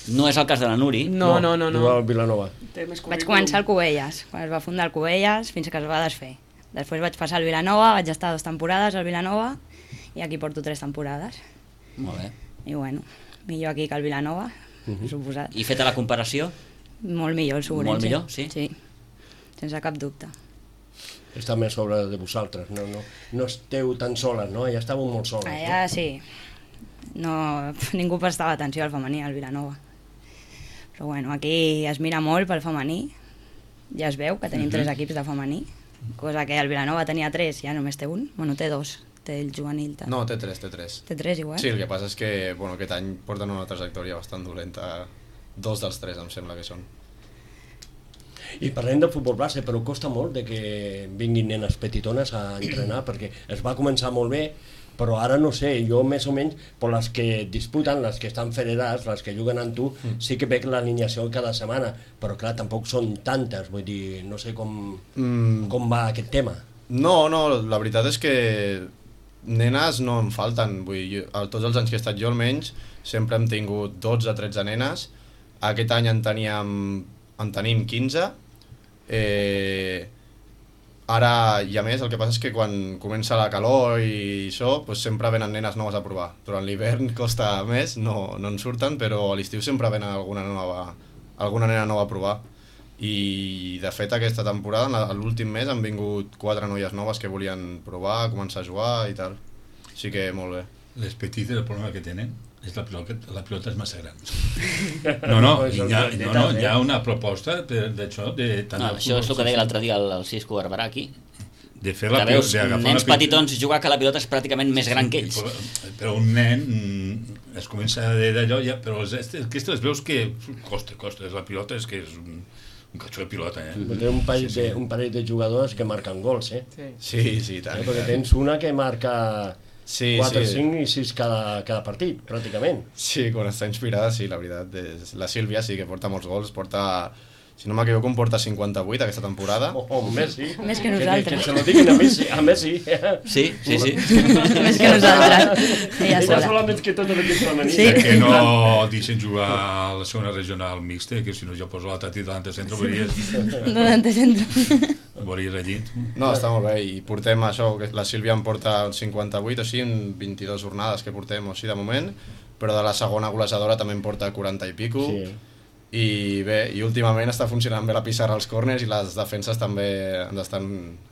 No és el cas de la Nuri. No. Jugava al Vilanova. Vaig començar al Cubelles, quan es va fundar el Cubelles, fins que es va desfer. Després vaig passar al Vilanova, vaig estar 2 temporades al Vilanova, i aquí porto 3 temporades. Molt bé. I bueno, millor aquí que al Vilanova, suposat. I feta la comparació? Molt millor el Sobrense. Molt millor, sí? Sí, sense cap dubte. Està més sobre de vosaltres, no esteu tan soles, no? Ja estàveu molt soles. Allà sí, ningú prestava atenció al femení al Vilanova. Però bueno, aquí es mira molt pel femení, ja es veu que tenim 3 equips de femení, cosa que el Vilanova tenia 3, ja només té 1, bueno, té 2, té el juvenil. No, té 3. Té 3 igual? Sí, el que passa és que aquest any porten una trajectòria bastant dolenta, 2 dels 3 em sembla que són. I parlem de futbol base, però costa molt de que vinguin nenes petitones a entrenar, perquè es va començar molt bé, però ara no sé, jo més o menys, per les que disputen, les que estan federats, les que juguen amb tu, sí que veig l'alineació cada setmana, però clar, tampoc són tantes, vull dir, no sé com va aquest tema. No, la veritat és que nenes no en falten, vull dir, tots els anys que he estat jo almenys, sempre hem tingut 12-13 nenes, aquest any en tenim 15, ara, i a més, el que passa és que quan comença la calor i això, doncs sempre venen nenes noves a provar. Durant l'hivern costa més, no en surten, però a l'estiu sempre venen alguna nena nova a provar. I, de fet, aquesta temporada, l'últim mes, han vingut 4 noies noves que volien provar, començar a jugar i tal. Així que molt bé. Les petites, el problema que tenen és la pilota és massa gran. Hi ha una proposta d'això. Això és el que deia l'altre dia el Cisco Barberà aquí. De fer la pilota, veus nens petitons jugar que la pilota és pràcticament més gran que ells. Però un nen es comença d'allò, però aquestes veus que costa, la pilota és que és un catxó de pilota, Té un parell de jugadors que marquen gols, Sí, tant. Perquè tens una que marca 4, 5 i 6 cada partit, pràcticament. Sí, quan està inspirada, sí, la veritat. La Sílvia sí que porta molts gols, si no m'equivoco, em porta 58 aquesta temporada. Messi. Més que nosaltres. Que se lo diguin a Messi. Sí. Més que nosaltres. Ella solament que tot l'equip femení. Sí. Que no deixen jugar a la segona regional mixta, que si no jo poso la Tati davant de centre, veuries allí. No, està molt bé, i portem això, la Sílvia em porta 58, o sigui, en 22 jornades que portem, o sigui, de moment, però de la segona golejadora també em porta 40 i pico, i bé, i últimament està funcionant bé la pissarra als córners i les defenses també ens estan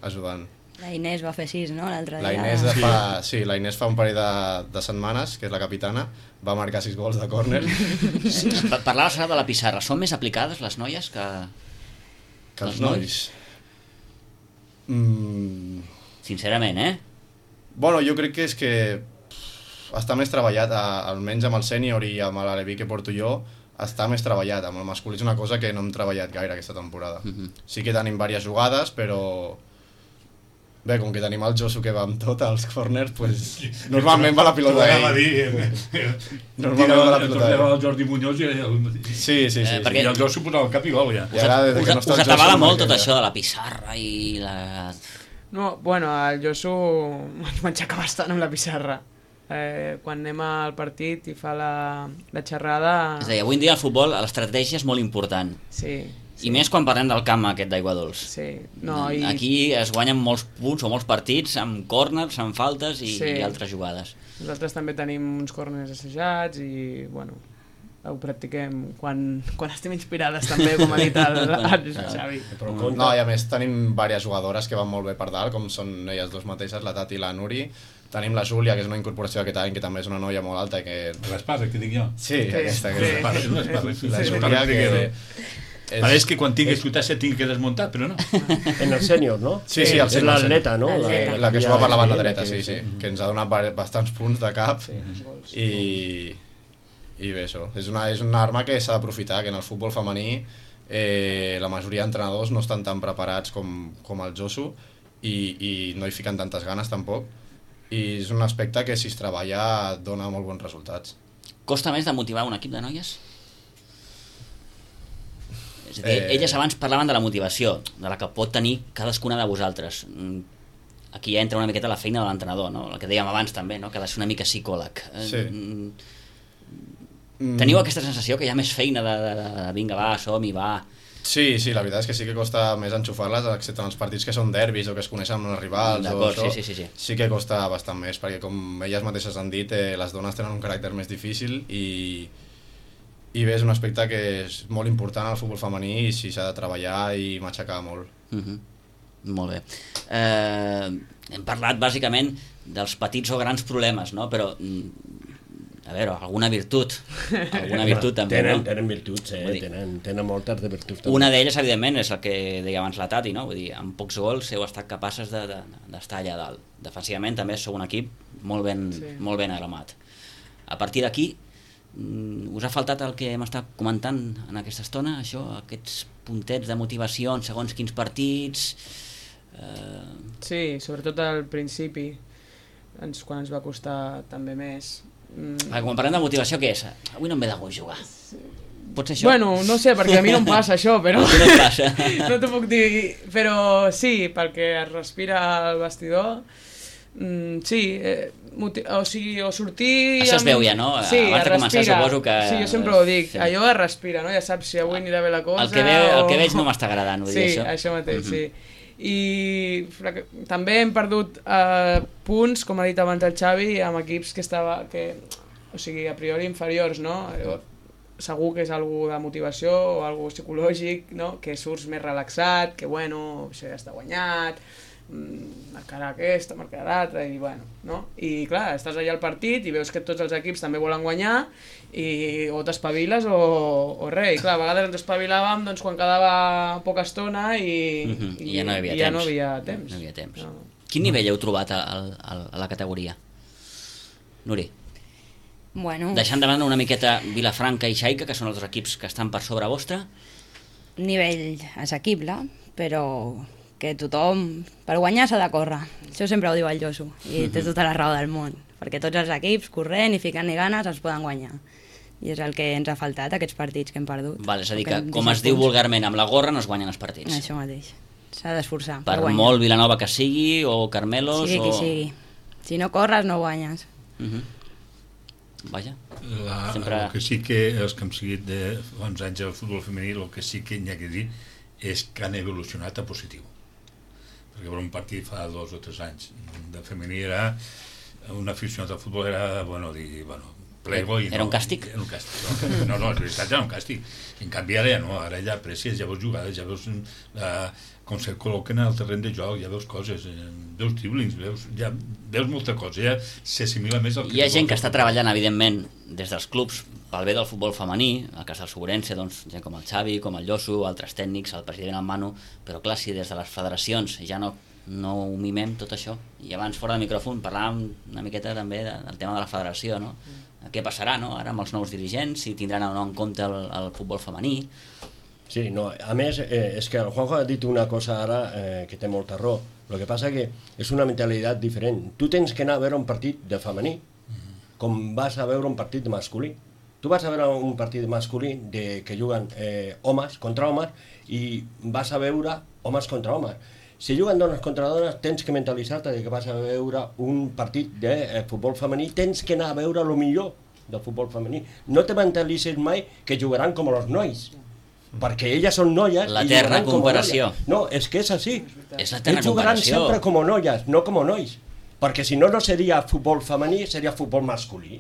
ajudant. La Inés va fer 6, no?, l'altre dia. La Inés fa un parell de setmanes, que és la capitana, va marcar 6 gols de córner. Parlaves ara de la pissarra, són més aplicades les noies que els nois? Sincerament, Bueno, jo crec que és que està més treballat, almenys amb el sènior i amb l'Aleví que porto jo, està més treballat. Amb el masculí és una cosa que no hem treballat gaire aquesta temporada. Sí que tenim diverses jugades, però bé, com que tenim el Josu que va amb tot als corners, pues, normalment va la pilota ell. Normalment va la pilota ell. El Jordi Muñoz i Sí. I el Josu posava el cap i gol, ja. us atabala molt tot això de la pissarra i la... No, bueno, el Josu ens m'aixeca bastant amb la pissarra. Quan anem al partit i fa la xerrada... És a dir, avui en dia al futbol l'estratègia és molt important. Sí. I més quan parlem del camp aquest d'Aigua Dols. Sí. Aquí es guanyen molts punts o molts partits amb córners, amb faltes i altres jugades. Nosaltres també tenim uns córners assajats i, bueno, ho practiquem quan estem inspirades també, com ha dit el Xavi. No, i a més tenim diverses jugadores que van molt bé per dalt, com són elles dues mateixes, la Tati i la Nuri. Tenim la Júlia, que és una incorporació aquest any, que també és una noia molt alta. L'Esparra, que dic jo. Sí, aquesta. La Júlia, que... Pareix que quan tinguis tutassa tingui que desmuntar, però no. En el sènior, no? Sí, el sènior. És l'atleta, no? La que juga per la banda dreta, sí. Que ens ha donat bastants punts de cap. I bé, això. És una arma que s'ha d'aprofitar, que en el futbol femení la majoria d'entrenadors no estan tan preparats com el Josu i no hi fiquen tantes ganes tampoc. I és un aspecte que si es treballa dona molt bons resultats. Costa més de motivar un equip de noies? És a dir, elles abans parlaven de la motivació, de la que pot tenir cadascuna de vosaltres. Aquí ja entra una miqueta la feina de l'entrenador, no? El que dèiem abans també, no? Que ha de ser una mica psicòleg. Sí. Teniu aquesta sensació que hi ha més feina de vinga, va, som-hi, va... Sí, la veritat és que sí que costa més enxufar-les, excepte en els partits que són derbis o que es coneixen amb els rivals o això, sí que costa bastant més, perquè com elles mateixes han dit, les dones tenen un caràcter més difícil i bé, és un aspecte que és molt important al futbol femení i sí s'ha de treballar i matxacar molt. Molt bé. Hem parlat bàsicament dels petits o grans problemes, no? Però... a veure, alguna virtut també, no? Tenen virtuts, tenen moltes de virtuts també. Una d'elles, evidentment, és el que deia abans la Tati, no? Vull dir, amb pocs gols heu estat capaces d'estar allà dalt. Defensivament també sou un equip molt ben armat. A partir d'aquí, us ha faltat el que hem estat comentant en aquesta estona, això, aquests puntets de motivació en segons quins partits... Sí, sobretot al principi. quan ens va costar també més. Quan parlem de motivació, què és? Avui no em ve de gust jugar. Pot ser això? Bueno, no sé, perquè a mi no em passa això, però... No et passa. No t'ho puc dir, però sí, perquè es respira al vestidor. Sí, o sigui, o sortir... Això es veu ja, no? Sí, abans de començar suposo que... Sí, jo sempre ho dic, allò es respira, no? Ja saps si avui anirà bé la cosa... El que veig no m'està agradant, ho dic això. Sí, això mateix, sí. I també hem perdut punts, com ha dit abans el Xavi, amb equips o sigui, a priori inferiors, no? Segur que és algú de motivació o algú psicològic, no? Que surts més relaxat, que bueno, això ja està guanyat, marcarà aquesta, marcarà l'altra, i bueno, no? I clar, estàs allà al partit i veus que tots els equips també volen guanyar i o t'espaviles o res. I clar, a vegades ens espavilàvem doncs, quan quedava poca estona i ja no hi havia temps. No hi havia temps. No. Quin nivell heu trobat a la categoria? Nuri? Bueno... Deixant de banda una miqueta Vilafranca i Xaica, que són els equips que estan per sobre vostre. Nivell assequible, però que tothom, per guanyar s'ha de córrer. Això sempre ho diu el Josu, i té tota la raó del món, perquè tots els equips, corrent i ficant-hi ganes, els poden guanyar. I és el que ens ha faltat, aquests partits que hem perdut. Val, és a dir, que com es diu vulgarment, amb la gorra no es guanyen els partits. Això mateix. S'ha d'esforçar per guanyar. Per molt Vilanova que sigui, o Carmelos... Sigui qui sigui. Si no corres, no guanyes. Vaja. El que sí que els que hem seguit de fa uns anys al futbol femení, el que sí que n'hi ha que dir és que han evolucionat a positiu, perquè per un partit fa 2 o 3 anys de femení era un aficionat al futbol, era playboy, era un càstig? Era un càstig, no, en realitat era un càstig. En canvi ara ja no, ara ja aprecies, ja veus jugades, ja veus com se col·loquen al terreny de joc, ja veus coses, veus driblings, veus molta cosa, ja s'assimila més al que... Hi ha gent que està treballant, evidentment, des dels clubs pel bé del futbol femení, al cas del Sobrense, doncs, gent com el Xavi, com el Josu, altres tècnics, el president, el Manu, però clar, si des de les federacions ja no ho mimem tot això, i abans fora del micròfon parlàvem una miqueta també del tema de la federació, no? Què passarà, no? Ara amb els nous dirigents, si tindran o no en compte el futbol femení. Sí, no, a més, és que el Juanjo ha dit una cosa ara que té molta raó. El que passa que és una mentalitat diferent. Tu tens que anar a veure un partit de femení, com vas a veure un partit de masculí. Tu vas a veure un partit de masculí que juguen homes contra homes i vas a veure homes contra homes. Si juguen dones contra dones, tens que mentalitzar-te que vas a veure un partit de futbol femení, tens que anar a veure el millor del futbol femení. No te mentalitzis mai que jugaran com els nois, perquè elles són noies la terra comparació. No, és que és així. És la terra ells jugaran comparació. sempre com noies, no com nois, perquè si no, no seria futbol femení, seria futbol masculí.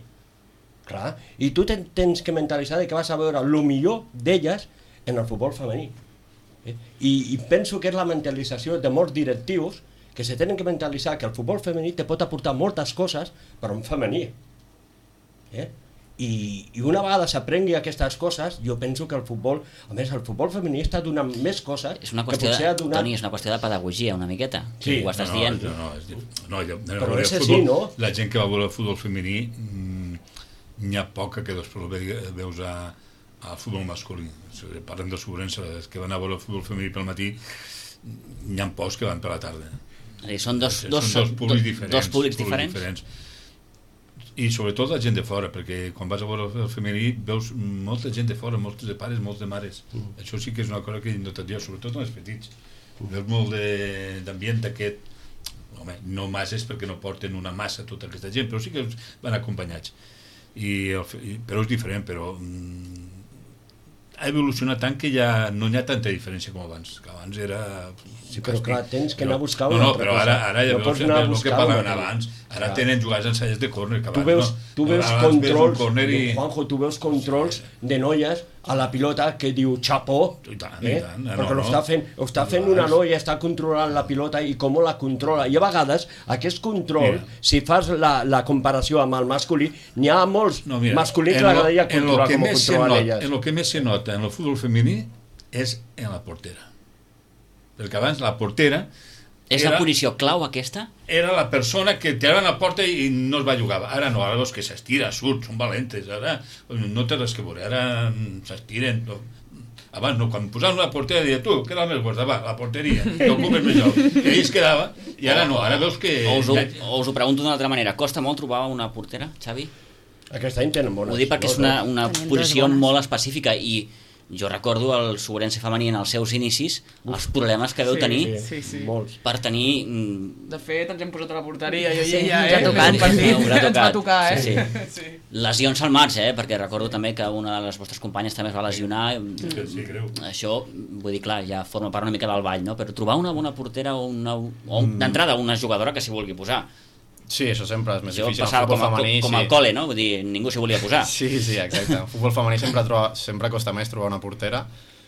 Clar. I tu tens que mentalitzar que vas a veure el millor d'elles en el futbol femení. I penso que és la mentalització de molts directius que se tenen que mentalitzar que el futbol femení te pot aportar moltes coses per un femení. I una vegada s'aprengui aquestes coses, jo penso que el futbol, a més, el futbol femení està donant més coses és una qüestió Toni, és una qüestió de pedagogia una miqueta, sí, ho estàs dient. Però és així, no? La gent que va veure el futbol femení n'hi ha poca que després veus al futbol masculí. Parlem del Sobrense, els que van a veure el futbol femení pel matí, n'hi ha pocs que van per la tarda. Són dos públics diferents. I sobretot la gent de fora, perquè quan vas a veure el femení veus molta gent de fora, molts de pares, molts de mares. Això sí que és una cosa que he notat jo, sobretot en els petits. Veus molt d'ambient d'aquest, no masses perquè no porten una massa tota aquesta gent, però sí que van acompanyats. Però és diferent, però ha evolucionat tant que ja no hi ha tanta diferència com abans, que abans era... Sí, però clar, tens que anar a buscar una altra cosa. No, però ara ja veus el que parlaven abans. Ara tenen jugades ensaies de córner, que abans no. Tu veus controls, Juanjo, tu veus controls de noies a la pilota que diu xapó, perquè ho està fent una noia, està controlant la pilota i com la controla. I a vegades aquest control, si fas la comparació amb el masculí, n'hi ha molts masculins que l'agradaria controlar com ho controlen elles. En el que més se nota en el futbol femení és en la portera. Perquè abans la portera... És la posició clau aquesta? Era la persona que tiraven a la porta i no es va jugar. Ara no, ara els que s'estira, surt, són valentes. Ara no té res que veure, ara s'estiren. Abans no, quan posaven una portera deia tu, què era el més gust? Va, la porteria, que ocupes més joc. I allà es quedava, i ara no, ara veus que... O us ho pregunto d'una altra manera, costa molt trobar una portera, Xavi? Aquest any tenen bones. Ho dic perquè és una posició molt específica i jo recordo el Sobrense femení en els seus inicis, els problemes que veu tenir molts. per tenir... De fet, ens hem posat a la porteria i Sí, ella, ens ha tocat. Ens va tocar, Sí. Lesions al març, perquè recordo també que una de les vostres companyes també es va lesionar. Sí, greu. Això, vull dir, clar, ja forma part una mica del ball, no? Però trobar una bona portera o d'entrada una jugadora que s'hi vulgui posar. Sí, això sempre és més Jo difícil. passava com al col·le, no? Vull dir, ningú s'hi volia posar. Sí, exacte. En futbol femení sempre costa més trobar una portera,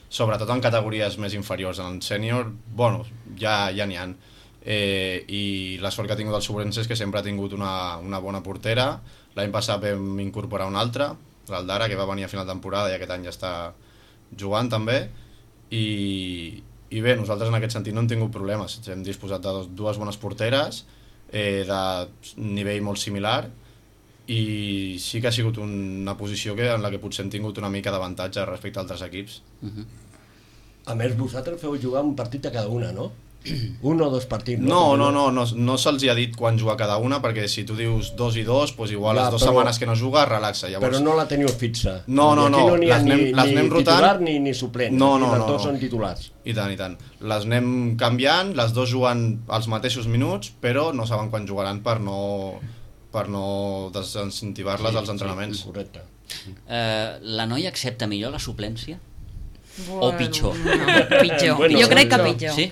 sobretot en categories més inferiors. En sènior, bueno, ja n'hi ha. I la sort que ha tingut el Sobrense és que sempre ha tingut una bona portera. L'any passat vam incorporar una altra, l'Aldara, que va venir a final de temporada i aquest any ja està jugant també. I bé, nosaltres en aquest sentit no hem tingut problemes. Hem disposat de dues bones porteres, de nivell molt similar, i sí que ha sigut una posició en la que potser hem tingut una mica d'avantatge respecte a altres equips. A més, vosaltres feu jugar un partit a cada una, no? Un o dos partits. No se'ls hi ha dit quan jugar cada una, perquè si tu dius 2 i 2, doncs igual les 2 setmanes que no juga relaxa. Llavors... Però no la teniu fixa. No, n'hi ha les anem rotant. Titular ni suplent. Les dues són titulars. I tant. Les anem canviant, les dues juguen els mateixos minuts, però no saben quan jugaran per no desincentivar-les als entrenaments. Sí, correcte. La noia accepta millor la suplència? O pitjor? No, pitjor. Bueno, jo crec que pitjor. Sí?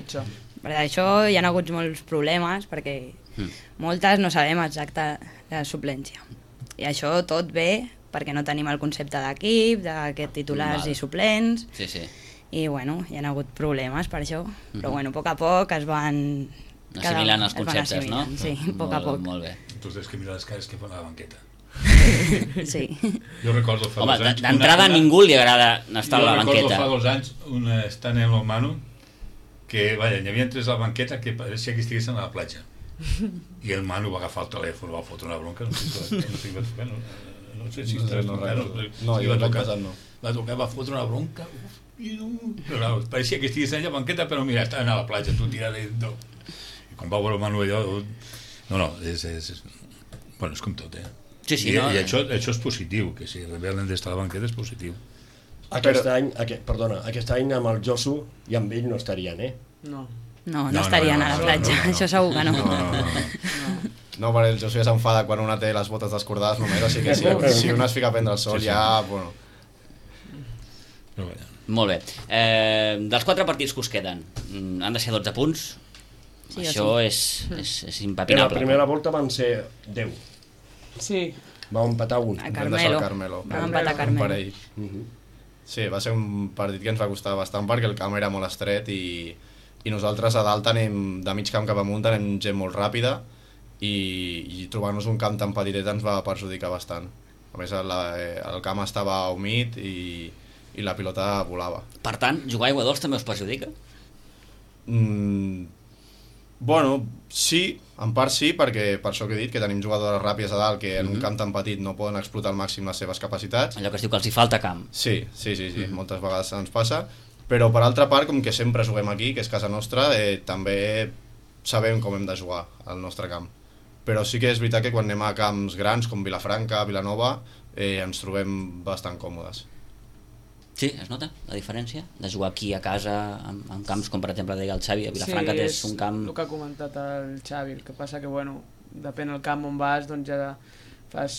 Per això hi ha hagut molts problemes, perquè moltes no sabem exacte la suplència. I això tot ve perquè no tenim el concepte d'equip, d'aquests titulars i suplents, Sí. i bueno, hi ha hagut problemes per això, però bueno, a poc a poc es van... Assimilant els conceptes, no? Sí, a poc a poc. Molt bé. Tu tens que mirar les cares que fan a la banqueta. Sí. Jo recordo fa Home, 2 anys... d'entrada a ningú li agrada estar a la banqueta. Jo recordo fa 2 anys estant en l'Omano que, vaja, hi havia 3 a la banqueta que pareixia que estiguessin a la platja. I el Manu va agafar el telèfon, va fotre una bronca, no sé si estàs tocant. No, jo l'any passat no. Va tocar, va fotre una bronca, però pareixia que estiguessin allà a la banqueta, però mira, estaven a la platja, tu tirada i... I quan va veure el Manu allò... No, bueno, és com tot, Sí, I això és positiu, que si rebel·len d'estar a la banqueta és positiu. Aquest any amb el Josu i amb ell no estarien, No estarien a la platja, això segur que no. No, perquè el Josu ja s'enfada quan una té les botes descordades només, així que si una es fica a prendre el sol ja... Bueno. Molt bé. Dels 4 partits que us queden, han de ser 12 punts. Sí, Això és impepinable. En la primera volta van ser 10. Sí. Vam empatar un. A Vam deixar el Carmelo. Carmelo. Vam empatar Un Carmelo. parell. Sí, va ser un partit que ens va costar bastant perquè el camp era molt estret i nosaltres a dalt tenim, de mig camp cap amunt, tenim gent molt ràpida i trobar-nos un camp tan petitet ens va perjudicar bastant. A més, el camp estava humit i la pilota volava. Per tant, jugar a aigua dolç també us perjudica? Bueno, sí, en part sí, perquè per això que he dit, que tenim jugadores ràpides a dalt que en un camp tan petit no poden explotar al màxim les seves capacitats. Allò que es diu que els hi falta camp. Sí, moltes vegades ens passa, però per altra part, com que sempre juguem aquí, que és casa nostra, també sabem com hem de jugar al nostre camp. Però sí que és veritat que quan anem a camps grans com Vilafranca, Vilanova, ens trobem bastant còmodes. Sí, es nota la diferència de jugar aquí a casa en camps com per exemple deia el Xavi a Vilafranca, que és un camp... Sí, és el que ha comentat el Xavi, el que passa que bueno, depèn del camp on vas, doncs ja fas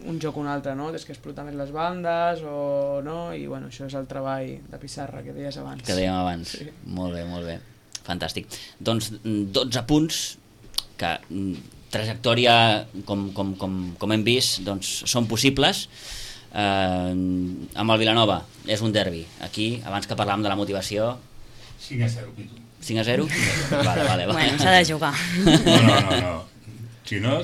un joc o un altre, no? Tens que explotar més les bandes o no, i bueno, això és el treball de pissarra que deies abans. Que dèiem abans, sí. Molt bé, fantàstic. Doncs 12 punts que trajectòria com hem vist doncs són possibles. Amb el Vilanova és un derbi. Aquí, abans que parlàvem de la motivació, 5-0, Pitu. 5-0? Vale. Bueno, s'ha de jugar. No. Si no,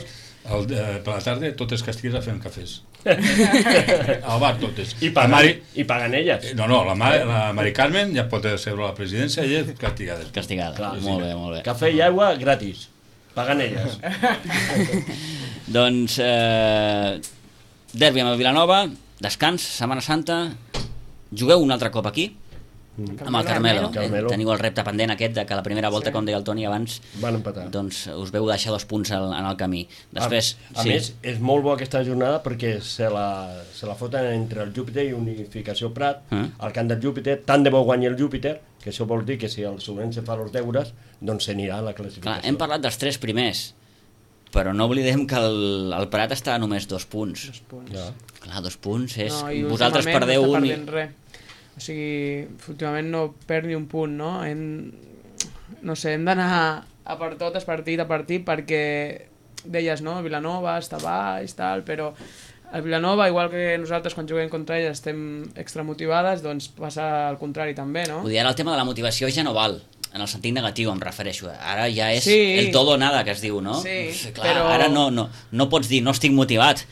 per la tarda totes castigues a fer cafès. Al bar totes. I paguen elles. No, la Mari Carmen ja pot seure a la presidència i elles castigades. Castigada, molt bé. Cafè i aigua gratis. Paguen elles. Doncs derbi amb el Vilanova, descans, Setmana Santa, jugueu un altre cop aquí, amb el Carmelo. Carmelo. Teniu el repte pendent aquest de que la primera volta, com deia el Toni abans, van empatar. Doncs us veu deixar 2 punts en el camí. Després, a més, és molt bo aquesta jornada perquè se la foten entre el Júpiter i Unificació Prat, al camp del Júpiter, tant de bo guanyi el Júpiter, que això vol dir que si el Sobrense fa els deures, doncs s'anirà a la classificació. Clar, hem parlat dels 3 primers, però no oblidem que el Prat està a només 2 punts. 2 punts. Ja. Clar, 2 punts és... No, i vosaltres últimament perdeu no un... està perdent res. O sigui, últimament no perd ni un punt, no? No sé, hem d'anar a per totes, partit a partit, perquè deies, no? Vilanova està baix, tal, però el Vilanova, igual que nosaltres quan juguem contra ell estem extramotivades, doncs passa al contrari també, no? Vull dir, ara el tema de la motivació ja no val, en el sentit negatiu em refereixo. Ara ja és Sí. el todo o nada que es diu, no? Sí, clar, però- ara no pots dir no estic motivat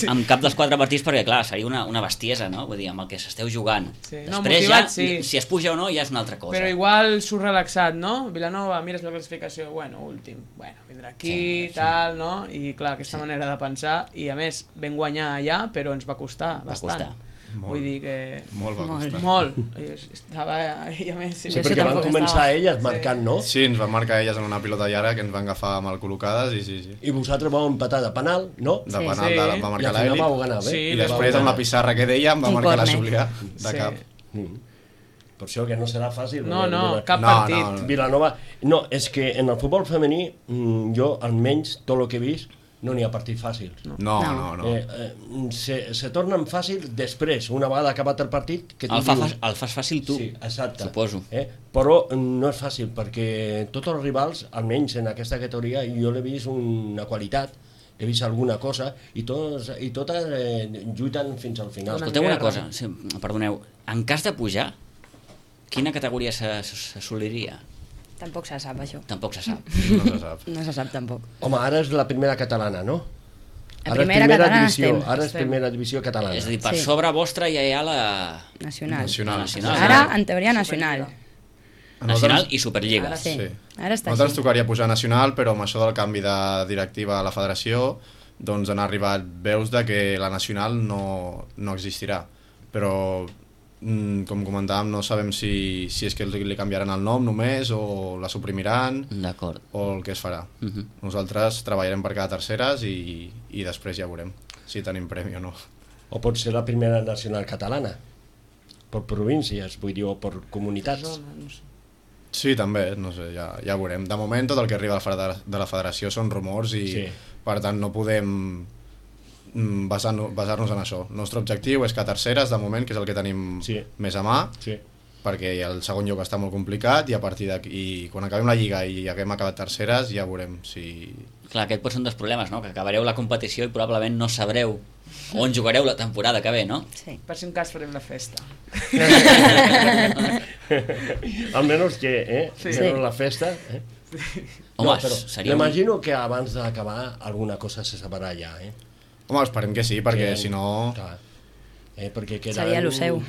amb cap dels 4 partits perquè, clar, seria una bestiesa, no? Vull dir, amb el que s'esteu jugant. Sí. No, Després motivat, ja, sí. si es puja o no, ja és una altra cosa. Però igual surt relaxat, no? Vilanova, mires la classificació, bueno, últim, bueno, vindrà aquí, tal, no? I clar, aquesta manera de pensar, i a més, vam guanyar allà, però ens va costar bastant. costar. Vull dir que... Molt va costar. Molt. Estava... I a més... Sí, perquè van començar elles marcant, no? Sí, ens van marcar elles en una pilota llarga que ens van agafar mal col·locades i sí. I vosaltres vau empatar de penal, no? De Sí. penal Sí. va I marcar al final vau l'Eli ganar, bé? Sí, i després amb la pissarra que deia em va Un marcar la córner. Súblia de Sí. cap. Per això que no serà fàcil. No, perquè cap No, partit. no. Vilanova... No, és que en el futbol femení, jo, almenys, tot el que he vist, no n'hi ha partits fàcils. No. Se tornen fàcils després, una vegada acabat el partit... Que tu dius- El fas fàcil tu, Sí, exacte. suposo. Però no és fàcil, perquè tots els rivals, almenys en aquesta categoria, jo l'he vist una qualitat, he vist alguna cosa, i totes lluiten fins al final. Escolteu una guerra. cosa, sí, perdoneu, en cas de pujar, quina categoria s'assoliria? Tampoc se sap, això. Tampoc se sap. No se sap. No se sap, tampoc. Home, ara és la primera catalana, no? La Ara és primera catalana divisió, estem. ara és Estem. primera divisió catalana. És a dir, per Sí. sobre vostra ja hi ha la Nacional. Nacional. Ara, en teoria, nacional. Nacional i Superliga. Ara Sí. Sí. Ara està Nosaltres ens així. tocaria pujar nacional, però amb això del canvi de directiva a la federació doncs han arribat veus de que la nacional no existirà. Però, com comentàvem, no sabem si és que li canviaran el nom només o la suprimiran D'acord. o el que es farà. Mhm. Nosaltres treballarem per cada terceres i després ja veurem si tenim premi o no. O pot ser la primera nacional catalana, per províncies, vull dir, o per comunitats. No sé. Sí, també, no sé, ja veurem. De moment tot el que arriba de la federació són rumors i Sí. per tant no podem basar-nos en això. El nostre objectiu és que terceres, de moment, que és el que tenim Sí. més a mà, Sí. perquè el segon lloc està molt complicat i a partir d'aquí, quan acabem la Lliga i haguem acabat terceres, ja veurem si... Clar, aquest pot ser un dels problemes, no? Que acabareu la competició i probablement no sabreu on jugareu la temporada que ve, no? Sí. Per si un cas farem la festa. Almenys que, Sí. Almenys la festa... Home, però seria un- m'imagino que abans d'acabar alguna cosa se sabrà ja, Home, esperem que sí, perquè Que- si no... Clar. Perquè queden... Seria el seu,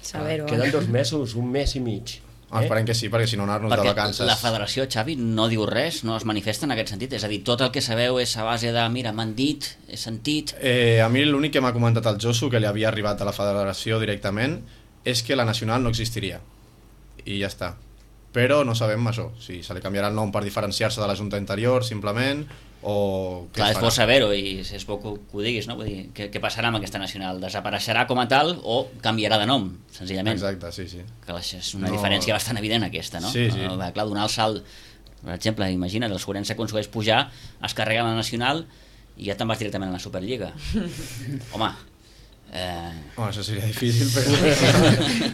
saber-ho. Queden 2 mesos, un mes i mig. Esperem que sí, perquè si no anar-nos de Perquè vacances... la federació, Xavi, no diu res, no es manifesta en aquest sentit. És a dir, tot el que sabeu és a base de, mira, m'han dit, he sentit... A mi l'únic que m'ha comentat el Josu, que li havia arribat a la federació directament, és que la nacional no existiria. I ja està. Però no sabem això, si se li canviarà el nom per diferenciar-se de la junta anterior, simplement, o què Clar, es és farà. bo saber-ho i és bo que ho diguis, no? Vull dir, què passarà amb aquesta nacional? Desapareixerà com a tal o canviarà de nom, senzillament? Exacte, sí, sí. Que és una No. diferència bastant evident aquesta, no? Sí, sí. Clar, donar el salt, per exemple, imagina't, el Sobrense aconsegueix pujar, es carrega la nacional i ja te'n vas directament a la Superliga. Home, Home, això seria difícil, però...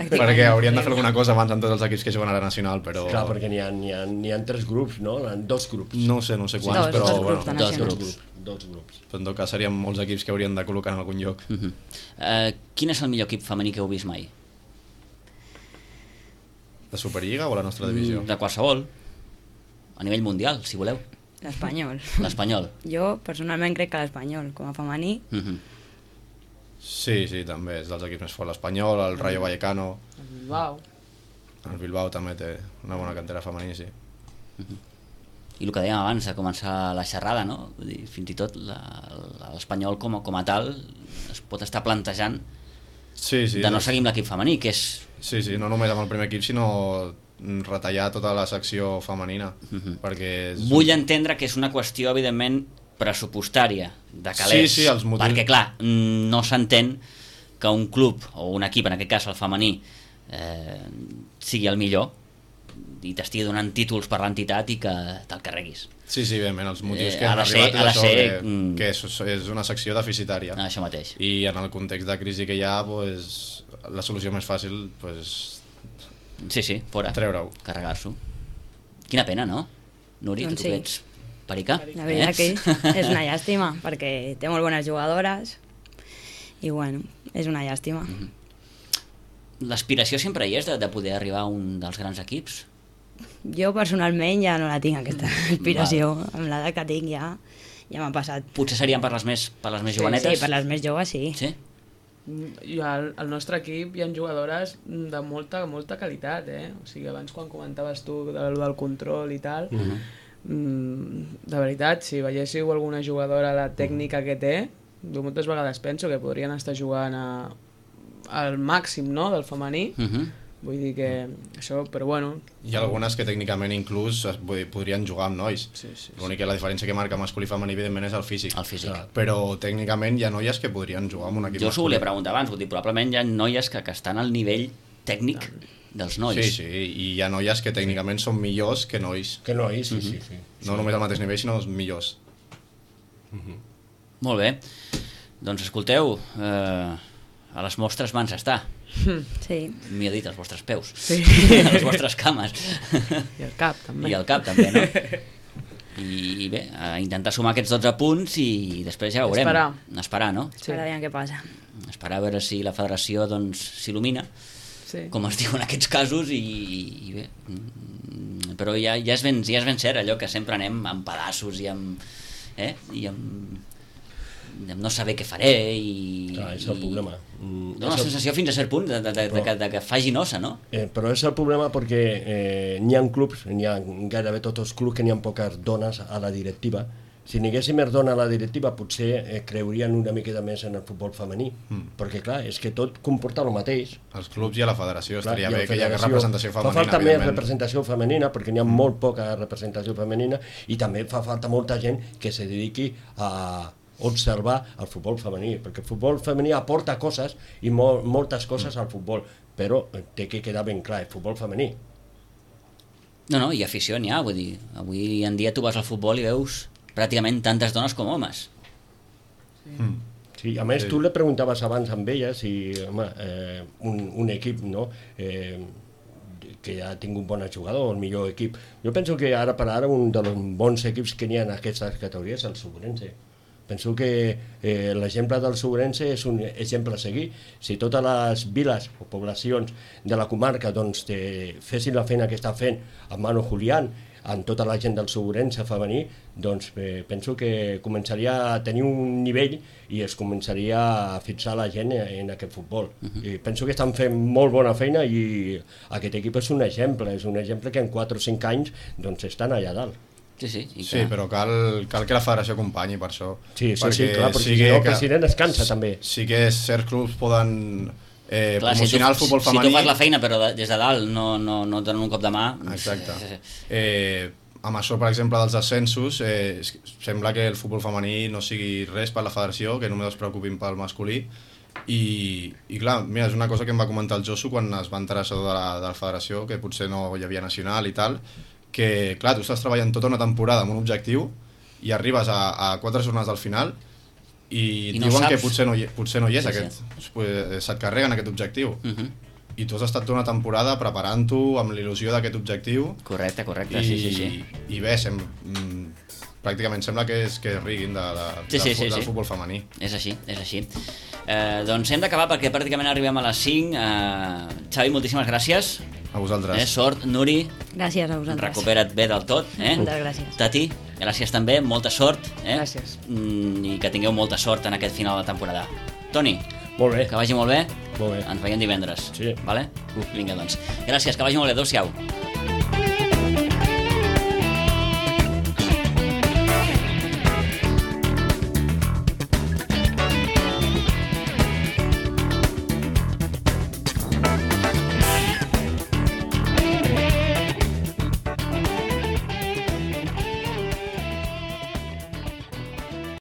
perquè haurien de fer alguna cosa abans amb tots els equips que juguen a la nacional, però... Clar, perquè n'hi ha 3 grups, no? N'hi ha 2 grups. No sé quants, Dos, però dos bueno, grups de dos nacionals. grups. 2 grups. en tot cas serien molts equips que haurien de col·locar en algun lloc. quin és el millor equip femení que heu vist mai? De Superliga o la nostra divisió? De qualsevol, a nivell mundial, si voleu. L'Espanyol. L'Espanyol. Jo, personalment, crec que l'Espanyol, com a femení, Sí, també, és dels equips més forts. L'Espanyol, el Rayo Vallecano, Uau. el Bilbao també té una bona cantera femení, sí. I el que dèiem abans de començar la xerrada, no? Vull dir, fins i tot l'Espanyol com a tal es pot estar plantejant de no seguir amb l'equip femení, que és... Sí, no només amb el primer equip, sinó retallar tota la secció femenina. Perquè Vull entendre que és una qüestió, evidentment, pressupostària, de calés. Sí, els motius... Perquè, clar, no s'entén que un club, o un equip, en aquest cas el femení, sigui el millor i t'estigui donant títols per l'entitat i que te'l carreguis. Sí, evidentment, els motius que han arribat és això, que és una secció deficitària. Això mateix. I en el context de crisi que hi ha, la solució més fàcil sí, fora. Treure-ho. Carregar-s'ho. Quina pena, no? Núria, doncs tu que ets perica? La veritat que és una llàstima, perquè té molt bones jugadores i bueno, és una llàstima. L'aspiració sempre hi és de poder arribar a un dels grans equips? Jo personalment ja no la tinc, aquesta aspiració. Amb l'edat que tinc ja m'ha passat. Potser serien per les més jovenetes? Sí, per les més joves sí. Sí? I al nostre equip hi ha jugadores de molta qualitat, O sigui, abans quan comentaves tu del control i tal, de veritat, si veiéssiu alguna jugadora la tècnica que té, moltes vegades penso que podrien estar jugant al màxim, no?, del femení. Vull dir que això, però bueno... Hi ha algunes que tècnicament inclús podrien jugar amb nois. Sí. L'únic que la diferència que marca masculí i femení evidentment és el físic. El físic. Però tècnicament hi ha noies que podrien jugar amb un equip masculí. Jo s'ho volia preguntar abans, vull dir, probablement hi ha noies que estan al nivell tècnic dels nois. Sí, i hi ha noies que tècnicament són millors que nois. Que nois, sí. No només al mateix nivell, sinó els millors. Molt bé. Doncs escolteu, a les vostres mans està. Sí. M'hi ha dit, als vostres peus. Sí. A les vostres cames. I el cap, també. I el cap, també, no? I bé, a intentar sumar aquests 12 punts i després ja veurem. Esperar, no? Sí. Esperar què passa. Esperar a veure si la federació s'il·lumina, com es diu en aquests casos, i bé. Però ja és ben cert allò que sempre anem amb pedaços i amb no saber què faré Clar, és el problema. Dóna la sensació fins a cert punt de que faci nosa, no? Però és el problema perquè n'hi ha clubs, n'hi ha gairebé tots els clubs que n'hi ha poques dones a la directiva. Si n'hi haguessin més dones a la directiva potser creurien una miqueta més en el futbol femení, perquè clar, és que tot comporta el mateix. Els clubs i a la federació estaria bé que hi hagués representació femenina. Fa falta més representació femenina perquè n'hi ha molt poca representació femenina i també fa falta molta gent que se dediqui a observar el futbol femení, perquè el futbol femení aporta coses i moltes coses al futbol, però té que quedar ben clar, el futbol femení. No, i afició n'hi ha, vull dir, avui en dia tu vas al futbol i veus pràcticament tantes dones com homes. Sí, a més tu le preguntaves abans amb ella si un equip, no?, que ha tingut un bon jugador, el millor equip. Jo penso que ara per ara un dels bons equips que n'hi ha en aquestes categories és el Segurense. Penso que l'exemple del Segurense és un exemple a seguir. Si totes les viles o poblacions de la comarca fessin la feina que està fent amb Manu Julián, amb tota la gent del Segurense femení, doncs penso que començaria a tenir un nivell i es començaria a fixar la gent en aquest futbol. I penso que estan fent molt bona feina i aquest equip és un exemple que en 4 o 5 anys estan allà dalt. Sí, però cal que la federació acompanyi per això. Sí, clar, perquè si no el president es cansa també. Sí que certs clubs poden promocionar el futbol femení. Si tu fas la feina però des de dalt no et donen un cop de mà... Exacte. Amb això, per exemple, dels ascensos, sembla que el futbol femení no sigui res per la federació, que només es preocupin pel masculí. I clar, mira, és una cosa que em va comentar el Josu quan es va enterar això de la federació, que potser no hi havia nacional i tal, que clar, tu estàs treballant tota una temporada amb un objectiu i arribes a 4 jornades al final i et diuen que potser no hi és se't carreguen aquest objectiu i tu has estat tota una temporada preparant-ho amb l'il·lusió d'aquest objectiu. Correcte, sí. I bé, pràcticament sembla que riguin del futbol femení. És així. Doncs hem d'acabar perquè pràcticament arribem a les 5. Xavi, moltíssimes gràcies. A vosaltres. Sort, Nuri. Gràcies a vosaltres. Recupera't bé del tot. Moltes gràcies. Tati, gràcies també, molta sort. Gràcies. I que tingueu molta sort en aquest final de temporada. Toni, molt bé. Que vagi molt bé. Molt bé. Ens veiem divendres. Sí. Vale? Vinga, doncs. Gràcies, que vagi molt bé. Adéu-siau.